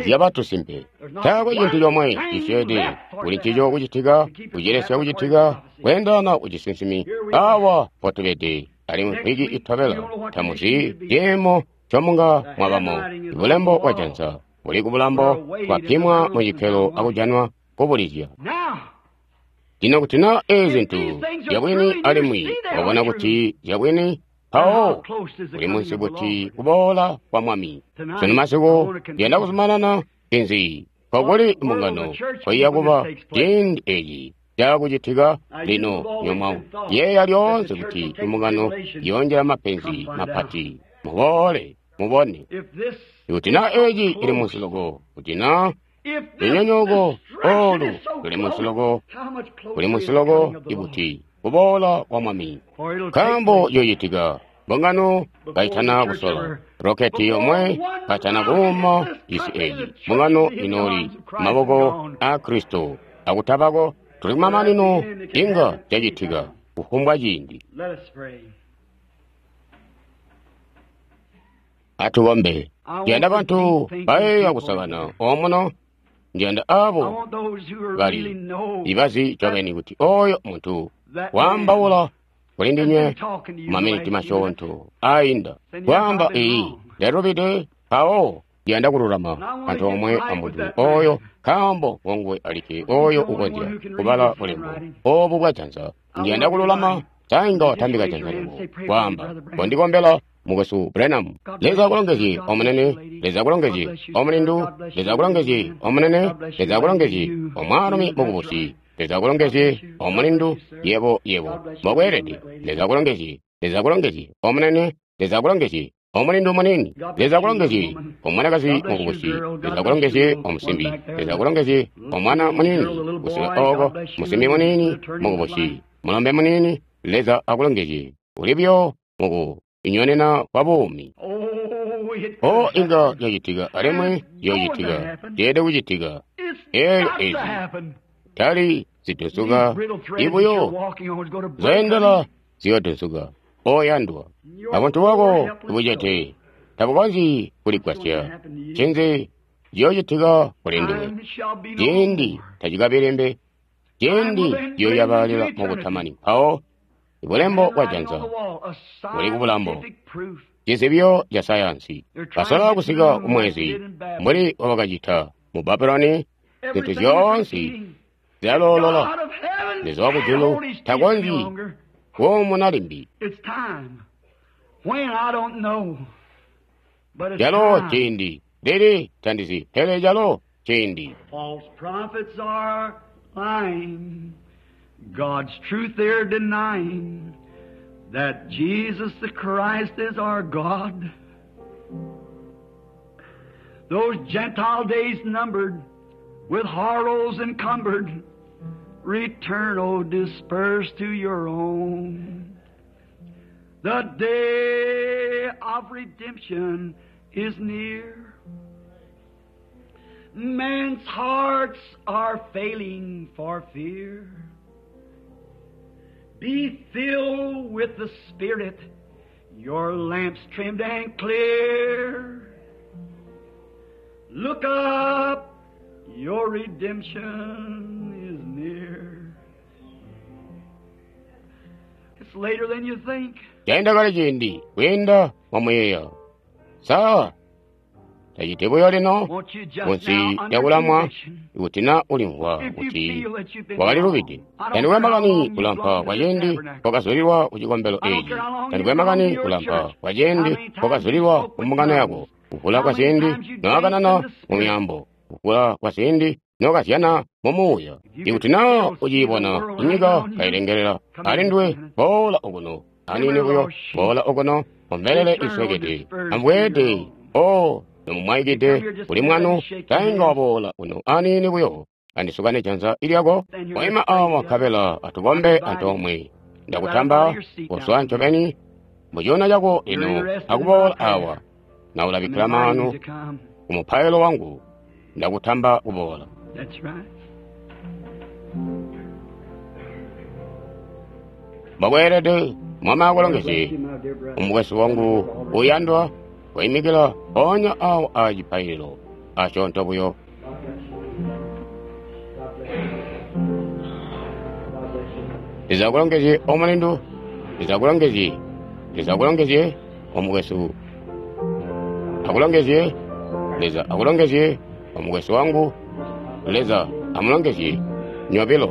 zyabatusimpe. Taakwe cintu comwe cisyeede kuli ncico kucitika, kucilesya kucitika kweendana kucisinsimi. Awa potubede alimwi mvwiki itobela tamuzi ciimo ncomunga mwabamo. Ibulembo bwa janza buli kubulambo, bwapimwa mu cikkelo akujanwa kubulizya. Lino kuti naa eezi zintu zyabwini alimwi wabona kuti zyabwini, mpawo kuli munsi kuti kuboola kwa Mwami. Sunu masiku ndiyanda kuzumanana inzi nkokuli mbungano koiya kuba ciindi eci caakucitika. Lino nyomwa yeeya lyoonse kuti imbungano yoonjela mapenzi mapati. Muboole mubone ikuti naa eci ili munsi loko, kuti naa lunyonyooko olu luli munsi loko, kuli munsi loko ikuti kuboola kwa Mwami. Nkaambo yoocitika mbungano kaitana kusola roketi yomwe, kaitana kuuma isi eyi, mbungano inooli maboko a Kristo akutabako. Tuli kumamanino, inga cacitika kufumbwa ciindi. Atukombe. Ndiyanda bantu bayeeya kusakana omuno. Ndiyanda abo bali ibazi ncobeni kuti oyo muntu waambaula kuli ndinywe maminiti masyoonto ainda kwaamba iyi ndalubide, mpawo ndiyanda kululama antoomwe amuntu oyo, nkaambo ngonguwe alikke oyo ukonzya kubala bulembo obu bwa janza. Ndiyanda kululama. Sainga watambika janza lyako kwaamba, kondikombela mukwesu Branham. Leza akulongezye omunene, Leza akulongezye omulindu, Leza akulongezye omunene, Leza akulongezye omwaalumi mukubusi, Leza akulongezye omulindu, yebo yebo mbokweelede. Leza akulongezye, Leza akulongezye omunene, Leza akulongezye omulindu munini, Leza akulongezye omwanakazi mukubusi, Leza akulongezye omusimbi, Leza akulongezye omwana munini kusika oko, musimbi munini mukubusi, mulombe munini, Leza akulongezye. Uli buyo muku inyonena kwa buumi. O inga yacitika alimwi yoocitika, ceede kucitika. Eelyo ezi tali zidunsuka ibuyo zoyendela ziyodunsuka. Oyandwa, abantu bako ibucete tabukonzyi kuligwasya. Ncinzi ciyoocitika kuli nduwe? Ciindi tacikabilembe, ciindi ciyoyabalila mukutamani. Mpawo ibulembo bwa janza buli kubulambo, cizibyo ca sayansi. Basola kusika kumwezi mbuli wabakacita mu Babuloni. Zintu zyoonse zyaloolola. Leza wakujulu takonzyi kuumuna limbi. Calo ciindi lili tandizi, pele calo ciindi. God's truth they're denying, that Jesus the Christ is our God. Those Gentile days numbered, with horrors encumbered, return, O dispersed to your own. The day of redemption is near. Men's hearts are failing for fear. Be filled with the Spirit, your lamps trimmed and clear. Look up, your redemption is near. It's later than you think. Chaenda kale ciindi kwiinda mwamuyeeya. Saa taciti buyo lino Won't you just munsi now, under yakulamwa conviction, ikuti na ulimvwa if you kuti feel that you've been wakalilubide. wrong, I don't Tandikwe care how makani long you've kulampa belonged kwa to this ciindi tabernacle. kwakazulilwa ku cikombelo I don't eci. care how long Tandikwe you've belonged makani to your kulampa church, kwa how ciindi many times you kwakazulilwa spoke ku with mbungano yako, tongues, kuvula how kwa many ciindi times you danced noakanana in the mu Spirit. myaambo, kuvula kwa ciindi nokazyana mu muuya. If you Ikuti could naa still see the uciibona world hanging inyika on you, kailengelela come here ali just a ndiwe, minute. boola okuno anini Remember buyo, lost sheep, boola okuno ombelele return, O iswekete, dispersed to your ambweede own. o You come nomumwaikide here just a kuli minute, let me mwanu shake your tainga hand. waboola uno anini buyo andisukane janza ilyako. Stand here, let's Waima pray awa together. nkabela I'm atukombe inviting you. antoomwe. Get right up out Ndakutamba of your seat now. kuswa ncobeni muchiona chako You're lino interested in my akuboola prayer. awa I'm naulabikkila inviting you maanu to come. ku mupailo wangu. Ndakutamba kuboola. That's right. Mbokweelede Mwami God bless akulongezye you, my dear brother. umukwesu wangu uyandwa wayimikila mpoonya awo a cipaililo asyoonto buyo. God bless you. God bless you. God bless you. Leza akulongezye omulindu, Leza akulongezye, Leza akulongezye omukwesu. akulongezye. Leza akulongezye, omukwesu wangu. Leza amulongezye nyobilo.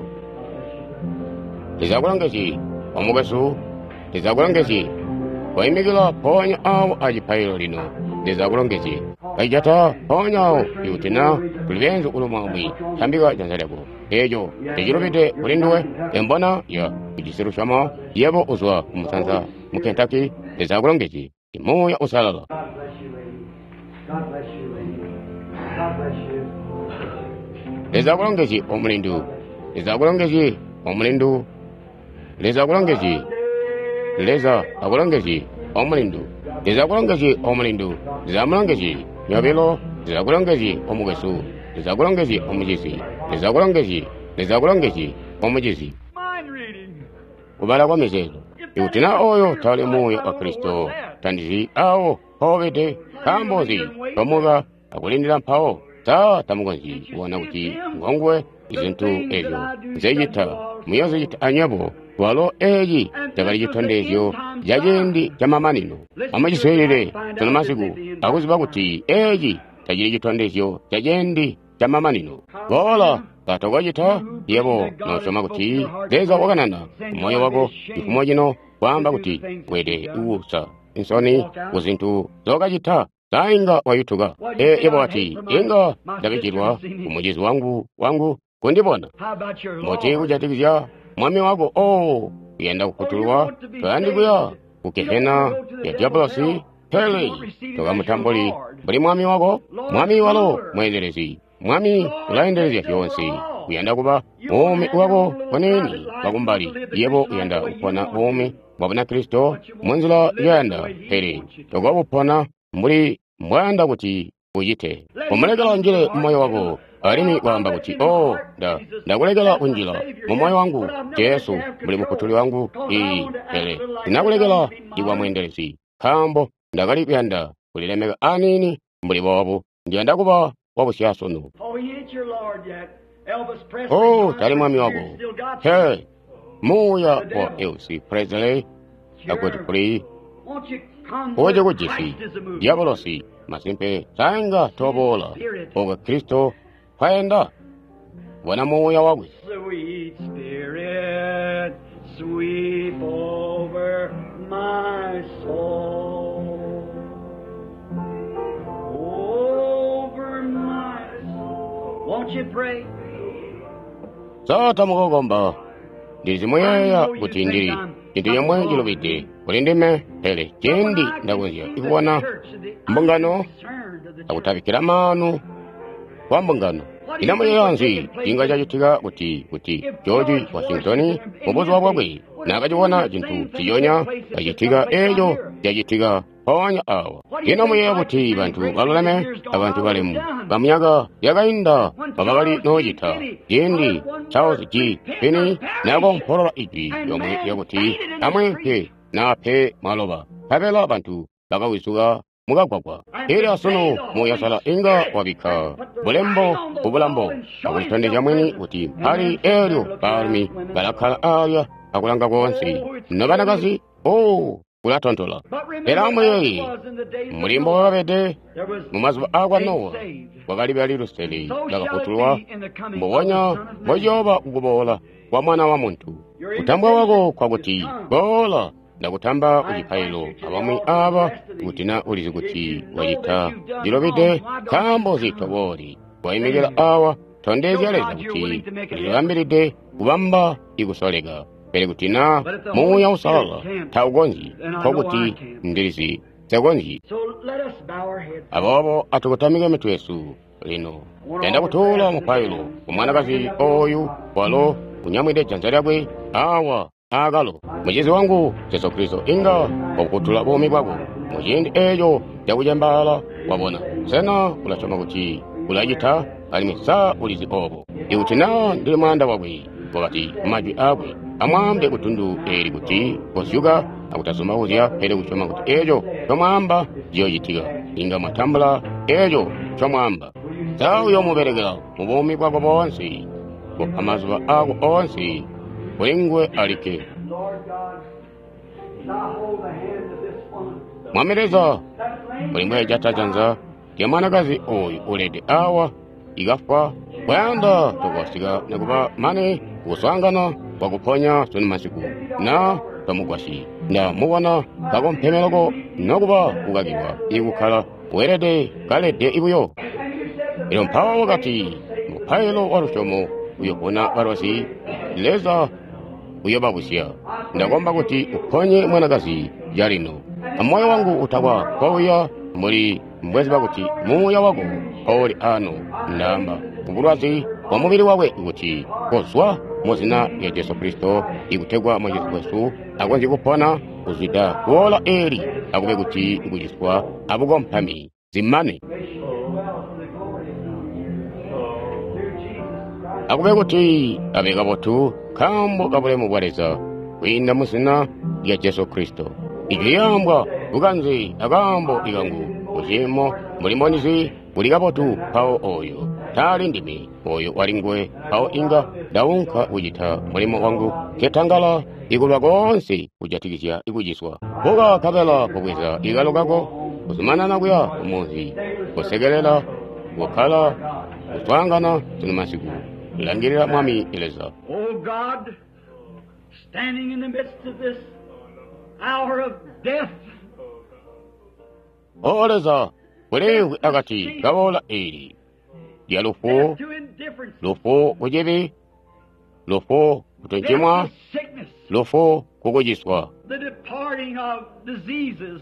Leza akulongezye, omukwesu. Leza akulongezye. Waimikila mpoonya awo acipaililo lino. Leza akulongezye. Kaijata mpoonya awo ikuti na tuli beenzu kulumwamwi, tambika janza lyako. Eeco tecilubide kuli nduwe. Embona ya ujisi lusyomo, yebo uzwa kumusanza mu Kentucky. Leza akulongezye. Muuya Uusalala. God bless you, lady. God bless you, lady. God bless you. Leza akulongezye omulindu. Leza akulongezye omulindu. Leza akulongezye. Leza akulongezye omulindu. Leza akulongezye omulindu. Leza amulongezye nyobilo. Leza akulongezye omukwesu. Leza akulongezye omucizi. Leza akulongezye. Leza akulongezye omucizi. Mind reading. Kubala kwa mizeezo. Ikuti na oyo tali muuya wa Kristo, tandizi awo mpobede, nkaambo nzi tomuka akulindila mpawo? Sa tamukonzyi kubona kuti ngonguwe? Izintu ezyo nzecita muyozicita anywebo. Walo eeci cakali citondezyo ca ciindi camamanino. Amuciswiilile sunu masiku akuziba kuti eeci tacili citondezyo ca ciindi camamanino. Boola katokocita yebo nosyoma kuti Leza wakanana kumoyo wako cifumo cino kwaamba kuti wede kuusa nsoni ku zintu zokacita. Sainga wayutuka. E yebo wati inga ndabijilwa ku mucizi wangu wangu kundibona. How about your Mbuti Lord? kujatikizya mwami wako? Oh, uyanda kufutulwa, toyandi kuya ku gehena ya diabolosi, pele tokamutambuli mbuli mwami wako. Mwami walo mweendelezi. Mwami ulaendelezya zyoonse. Uyanda kuba buumi bwako buniini bwakumbali. Yebo uyanda kupona buumi bwa Bunakristo munzila njoyanda, pele tokobupona mbuli mbwayanda kuti ucite. Kumulekela unjile mumoyo wako alimwi kwaamba kuti, oh, nda ndakulekela kunjila mu moyo wangu Jesu mbuli mufutuli wangu. Iyi, pele ndinakulekela kuba mweendelezi, nkaambo ndakali kuyanda kulilemeka aniini mbuli boobu. Ndiyanda kuba wabusyasunu. Oh, he ain't your Lord yet. Elvis Presley. Oh, Jonathan tali mwami wako. Spirit still got you. He, muuya wa Elvis Presley akuti kuli Won't you come oje where kujisi Christ is a-moving? diabolosi masimpe sainga toboola oka Kristo kwayenda bona muuya wakwe. Sweet Spirit, sweep over my soul. Over my soul. Won't you pray? Sata mukukomba ndizimuyeeya kuti ndili chintu chomwe chilubide kuli ndime, pele cindi ndakonzya kubona mbungano akutabikkila maanu kwa mbungano. Ino muyeeya nzi cinga cacitika kuti kuti George Washington mubuzuba bwakwe naakacibona cintu ciyonya cacitika eeco cacitika mpoonya awa? Ino muyeeya kuti bantu baluleme abantu balemu bamyaka yakainda babakali noocita ciindi Charles G. Finney naakompolola ijwi lyomwe lyakuti amweempe naape mwaloba, nkabela bantu bakawizuka mukagwagwa. Elyo asunu muyasala inga wabikka bulembo kubulambo akulitondezya mwini kuti mpali eelyo baalumi balakkala alya akulanga koonse nobanakazi. Oh, kulatontola. Pele amuyeeye mbuli mbokakabede mumazuba aakwa Nowa, kwakali bali lusele bakafutulwa, mbubonya mbociyooba kukuboola kwa Mwana wa Muntu. Kutambwa kwako kwakuti boola, ndakutamba ku cipaililo abamwi aba kuti na ulizi kuti wacita cilubide, nkaambo nzi tobooli? Waimikila awa, tondezya Leza kuti ulilibambilide kubamba ikusoleka. Pele kuti na Muuya Uusalala taukonzyi, nkokuti ndilizi takonzyi. So let us bow our heads. Aboobo atukotamike mitwe yesu lino. Yanda kutuula mupailo ku mwanakazi oyu walo unyamwide janza lyakwe awa aakalo. Mucizi wangu Jesu Kristo inga wakukutula buumi bwako muciindi eeco cakucembaala. Wabona, sena ulasyoma kuti ulacita? Alimwi sa ulizi oobo? Ikuti na ndili mwaanda wakwe, wakati majwi aakwe, amwaambe kutundu eeli kuti kozyuka akutazumbauzya, pele kusyoma kuti eeco comwaamba ciyoocitika, inga mwatambula eeco comwaamba. Sa uyoomubelekela mubuumi bwako boonse, kupa mazuba aako oonse kuli nguwe alikke. Lord God, as I hold the hand of this woman Mwami Leza, mbuli mbwejata janza lya mwanakazi oyu ulede awa ikafwa kwayanda tokwasika nikuba mane kuswaangana kwakuponya sunu masiku na twamugwasyi nda mubona kakompeme loko nokuba kukakilwa ikukkala weelede kalede ibuyo. Elyo mpawo wakati mupailo wa lusyomo uyopona balwazi, Leza uyobabusya. Ndakomba kuti uponye mwanakazi calino. Amoyo wangu utakwa kouya mbuli mbweziba kuti muuya wako mpowuli ano. Ndaamba kubulwazi bwa mubili wakwe kuti kozwa mu zina lya Jesu Kristo ikutegwa Mwacizi wesu akonzye kupona kuzwida kuola eli akube kuti kuciswa abukompami zimane. Akube kuti abe kabotu nkaambo kabulemu bwa Leza kwiinda mu zina lya Jesu Kristo. Ijwi lyaambwa bukanze akaambo ikangu kuciimo mbuli mbonizi buli kabotu mpawo oyo taali ndime oyo wali nguwe mpawo inga ndaunka kucita mulimo wangu nketangala ikulwa koonse kujatikizya ikuciswa. Buka kabela kubweza ikalo kako kuzumanana kuya kumunzi kusekelela kukkala kuswaangana sunu masiku langilila Mwami Leza. O God, standing in the midst of this hour of death, O Leza, kuliimvwi akati kawola eli lya lufu, death to indifference, lufu kucibi, lufu kutuncimwa, death to sickness, lufu kukuciswa, the departing of diseases,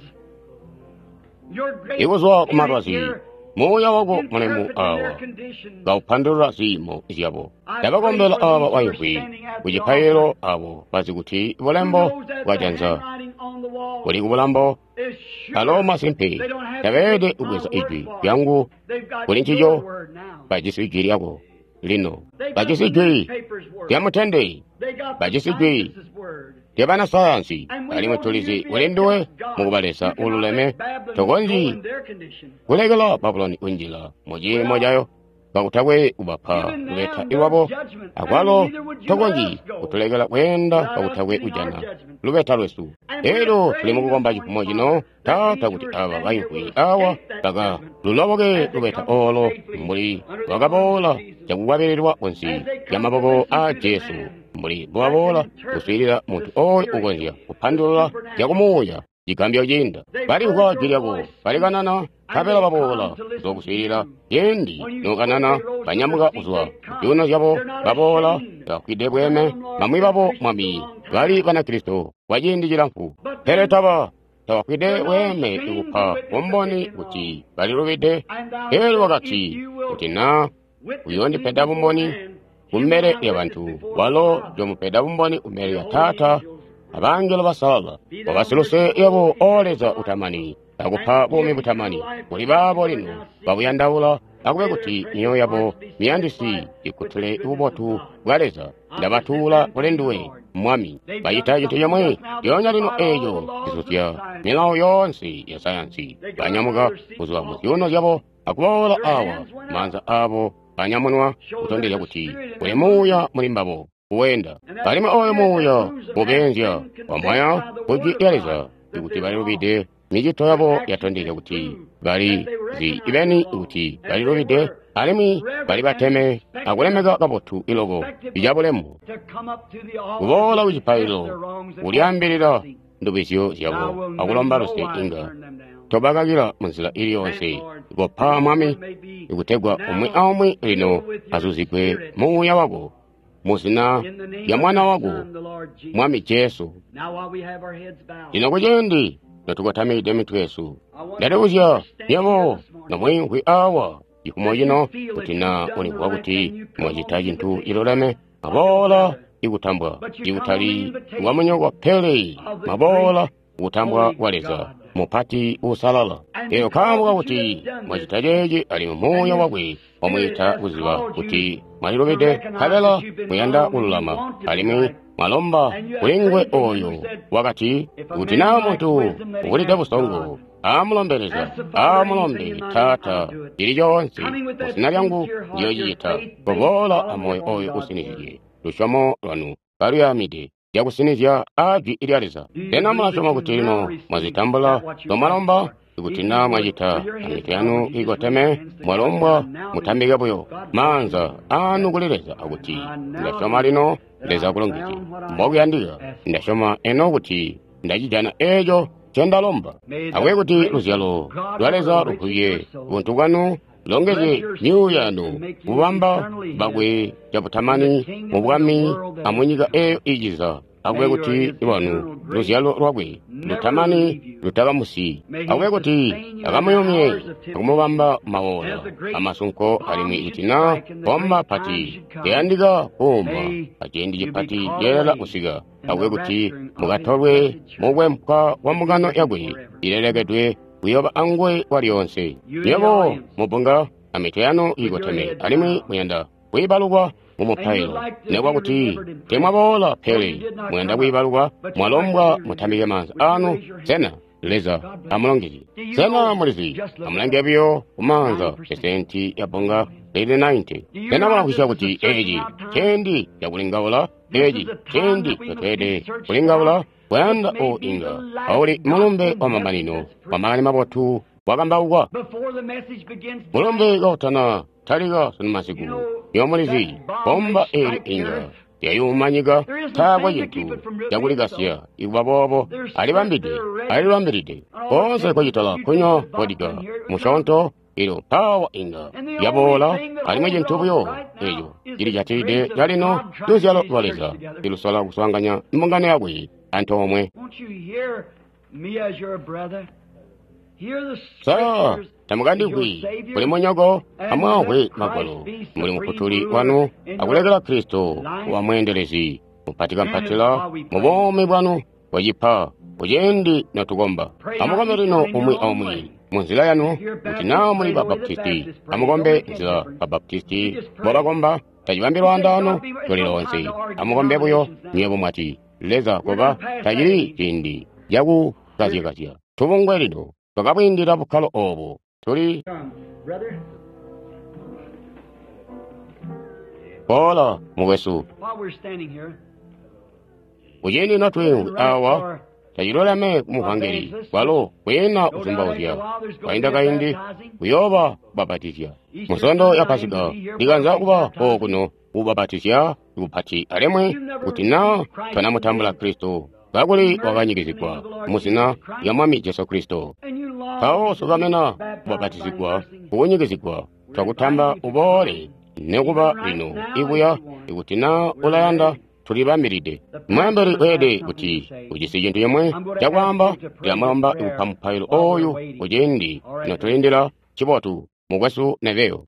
your great ikuzwa Spirit kumalwazi here muuya wako mulemu interpreting their awa condition. kaupandulula ziimo zyabo. Ndabakombela aba baimvwi kucipaililo abo bazi kuti Who bulembo knows that bwa the janza handwriting on the wall buli kubulambo is sure alo masimpe they don't have to tabeelede take my kubweza word ijwi for it. lyangu They've got kuli your ncico word now. bajisi ijwi lyako lino They've got bajisi the ijwi newspaper's word. lya mutende They got the bajisi ijwi scientists' word. lya banasayansi And we alimwi know that tulizi you'd be kuli a nduwe just God. mukuba Leza You cannot ululeme let Babylon go tokonzyi in their condition. kulekela Babuloni kunjila mu ciimo cayo kakutakwe kubapa Giving lubeta them their lwabo judgment, akwalo and neither would you let tokonzyi us go kutulekela kweenda without us kakutakwe getting our kujana judgment. lubeta lwesu. And we're Elyo tuli praying mukukomba this cifumo morning, cino Father, that Taata these kuti who are aba standing here baimvwi will awa escape that baka judgment luloboke as they lubeta come olo safely mbuli under the arms lwakaboola of Jesus, cakukwabililwa kunsi as they lya come to maboko listen a to the Jesu man mbuli that can mbwaboola interpret kuswiilila the muntu oyo spiritual, ukonzya the kupandulula supernatural. zyakumuuya cigambyo ciinda. They've heard Balimvwa your jwi lyako voice speak, balikanana and nkabela they baboola come to listen to kuzokuswiilila you. ciindi When you spoke, nokanana they rose to their banyamuka feet. kuzwa They come. zyuuno zyabo They're not baboola ashamed. bafwide Some of bweme them, Lord, bamwi been babo Christians a Mwami long bali time. Banakristo kwa ciindi cilamfu But pele then taba tabafwide they're not bweme ashamed to ikupa witness that they've bumboni been wrong. kuti balilubide. And thou Elyo said, If wakati you will kuti na witness me uyondipeda before bumboni man, you will kumbele not lya witness bantu before the walo Father jomupeda bumboni kumbele and the lya holy Taata angels. abangelo basalala Be thou wabasiluse merciful, yabo O o eternal Leza God, utamani akupa and buumi give eternal butamani life to kuli those baabo who are lino now seeking. babuyandaula akube May their kuti precious myoyo yabo hearts be miyandisi satisfied with the ikutule goodness of ububotu God. bwa Leza. I present Ndabatuula them to kuli you, nduwe Lord. Mwami. They've done Bacita cintu something chomwe just now that lyoonya lino defied all the eeco laws of cizuzya science. milawo yoonse ya sayansi. They got up out of Banyamuka their seats kuzwa mu off. zyuuno zyabo akuboola Their awa hands went up. maanza abo anyamunwa Show there's kutondezya a kuti spirit in kuli that muuya movement. muli mbabo kuwenda And that alimwi oyo spirit that muuya moves them has ubenzya been convinced wamwaya by the ku Word jwi of lya God Leza that ikuti they're balilubide wrong. micito Their yabo actions yatondezya has kuti proved bali that they zi recognize ibeni the wrong kuti and they balilubide were alimwi bali reverent and bateme respected akulemeka kabotu iloko respectable icabulemu to come up to the altar kuboola to ku confess cipaililo their wrongs and ask for kulyaambilila mercy. ndubizyo Thou zyabo will in akulomba no luse wise inga turn them down. tobakakila munzila ili Grant, yonse Lord, kopa that each Mwami one may be ikutegwa umwi now aumwi lino filled with your azuzigwe Spirit muuya wako mu zina in the name lya of Mwana thy wako Son, the Lord Jesus. Mwami Jesu. Now while we have our heads bowed, Lino kuciindi notukotamide mitwe yesu I wonder if you ndalibuzya are standing here nyabo this morning nomwimvwi awa cifumo that you cino feel kuti that you've na done the ulimvwa right kuti thing, you come on mwacita the cintu invitation ciluleme of your maboola brother. ikutambwa But you come on the ikutali invitation kwamunyoko pele of the maboola great kutambwa holy kwa Leza God. mupati uusalala. And Elyo because kaambo that you kakuti have done this, mwacita ceeci alimwi and muuya your wakwe Spirit wamwiita has kuziba called you kuti to mwalilubide recognize nkabela that you've been muyanda wrong and you kululama want to be alimwi right, mwalomba and you have kuli nguwe prayed to him who oyo said, wakati If a kuti man naa lacks muntu wisdom, let him ubulide ask busongo God. amulombe Leza Ask the Father anything amulombe in my name, I'll Taata do it. cili coonse Coming with mu that zina lyangu sincere heart, your ndiyoocicita. faith based Kuboola solidly amoyo upon oyo God's Word. usinizye lusyomo lwanu kaluyamide lyakusinizya a jwi lya Leza. Do you Sena believe that mulasyoma you kuti now lino receive mwazitambula that what you asked zomwalomba? for? Ikuti naa mwacita amitwe yanu ikoteme, mwalombwa mutambike buyo maanza anu kuli Leza akuti, ndasyoma lino Leza akulongezye. Mbokuyandika, ndasyoma eno kuti ndacijana eeco ncendalomba. Akube kuti luzyalo lwa Leza luvubye buntu bwanu, longezye myuuya yanu, kubamba bakwe cabutamani mu bwami amunyika eeyo iiciza. Akube kuti lwanu luzyalo lwakwe lutamani lutakamusiyi. Akube kuti akamuyumye akumubamba mawola amasunko, alimwi ikuti naa bomba pati liyandika kuuma aciindi cipati ceelela kusika, akube kuti mukatolwe mukwempwa kwa mbungano yakwe ilelekedwe kuyoba anguwe kwalyoonse. Nywebo mubbunga amitwe yanu iikoteme, alimwi muyanda kwiibalukwa mumupailo, nekuba kuti teemwaboola pele muyanda kwiibalukwa, mwalombwa mutambike maanza anu. Sena Leza amulongezye. Sena mulizi, amulange buyo kumaanza pesenti ya bbunga lili nainte. Sena mulamvwisya kuti eeci ciindi cakulingaula? Eeci ciindi cotweelede kulingaula kuyanda o inga auli mulumbe wa mamanino wa makani mabotu wakambaukwa. Mulumbe kautana talika sunu masiku, nywebo mulizi, bomba eeli inga yayuma nyika, taakwe cintu cakulikasya ikuba boobo, alibambide, alilibambilide. Koonse kwacitala kunywa vodika musyoonto, elyo mpaawa inga yaboola, alimwi cintu buyo eco cilijatilide calino luzyalo lwa Leza ilusola kuswaanganya mbungano yakwe antoomwe. Sa tamukandimvwi muli munyoko, amwaamvwe Magwalo, muli mufutuli wanu, akulekela Kristo kuba mweendelezi mupatikampatila mu buumi bwanu bwacipa kuciindi notukomba. Amukombe lino umwi aumwi munzila yanu. Kuti naa muli Babaptisti, amukombe nzila Babaptisti mbobakomba, tacibambi lwaandaano luli loonse. Amukombe buyo nywebo mwati, Leza koba, tacili ciindi cakukazyakazya. Tubungwe lino twakabwiindila bukkalo oobu. Tuli boola mukwesu. Kuciindi notwiimvwi awa, taciluleme kumuvangeli kwalo kwiina kuzumbauzya. Kwainda kaindi kuyooba kubapatizya musondo ya Pasika. Ndikanza kuba okuno kubapatizya kupati, alimwi kuti naa twanamutambula Kristo kakuli wakanyikizigwa muzina lya Mwami Jesu Kristo, mpawo sukamena kubapatizigwa kukunyikizigwa, twakutamba uboole nekuba lino ibuya, ikuti naa ulayanda. Tulibambilide. Mweembeli weelede kuti ujisi cintu cimwe cakwaamba. Ndilamulomba kupa mupailo ooyu kuciindi notulindila. Cibotu, mukwesu Neville.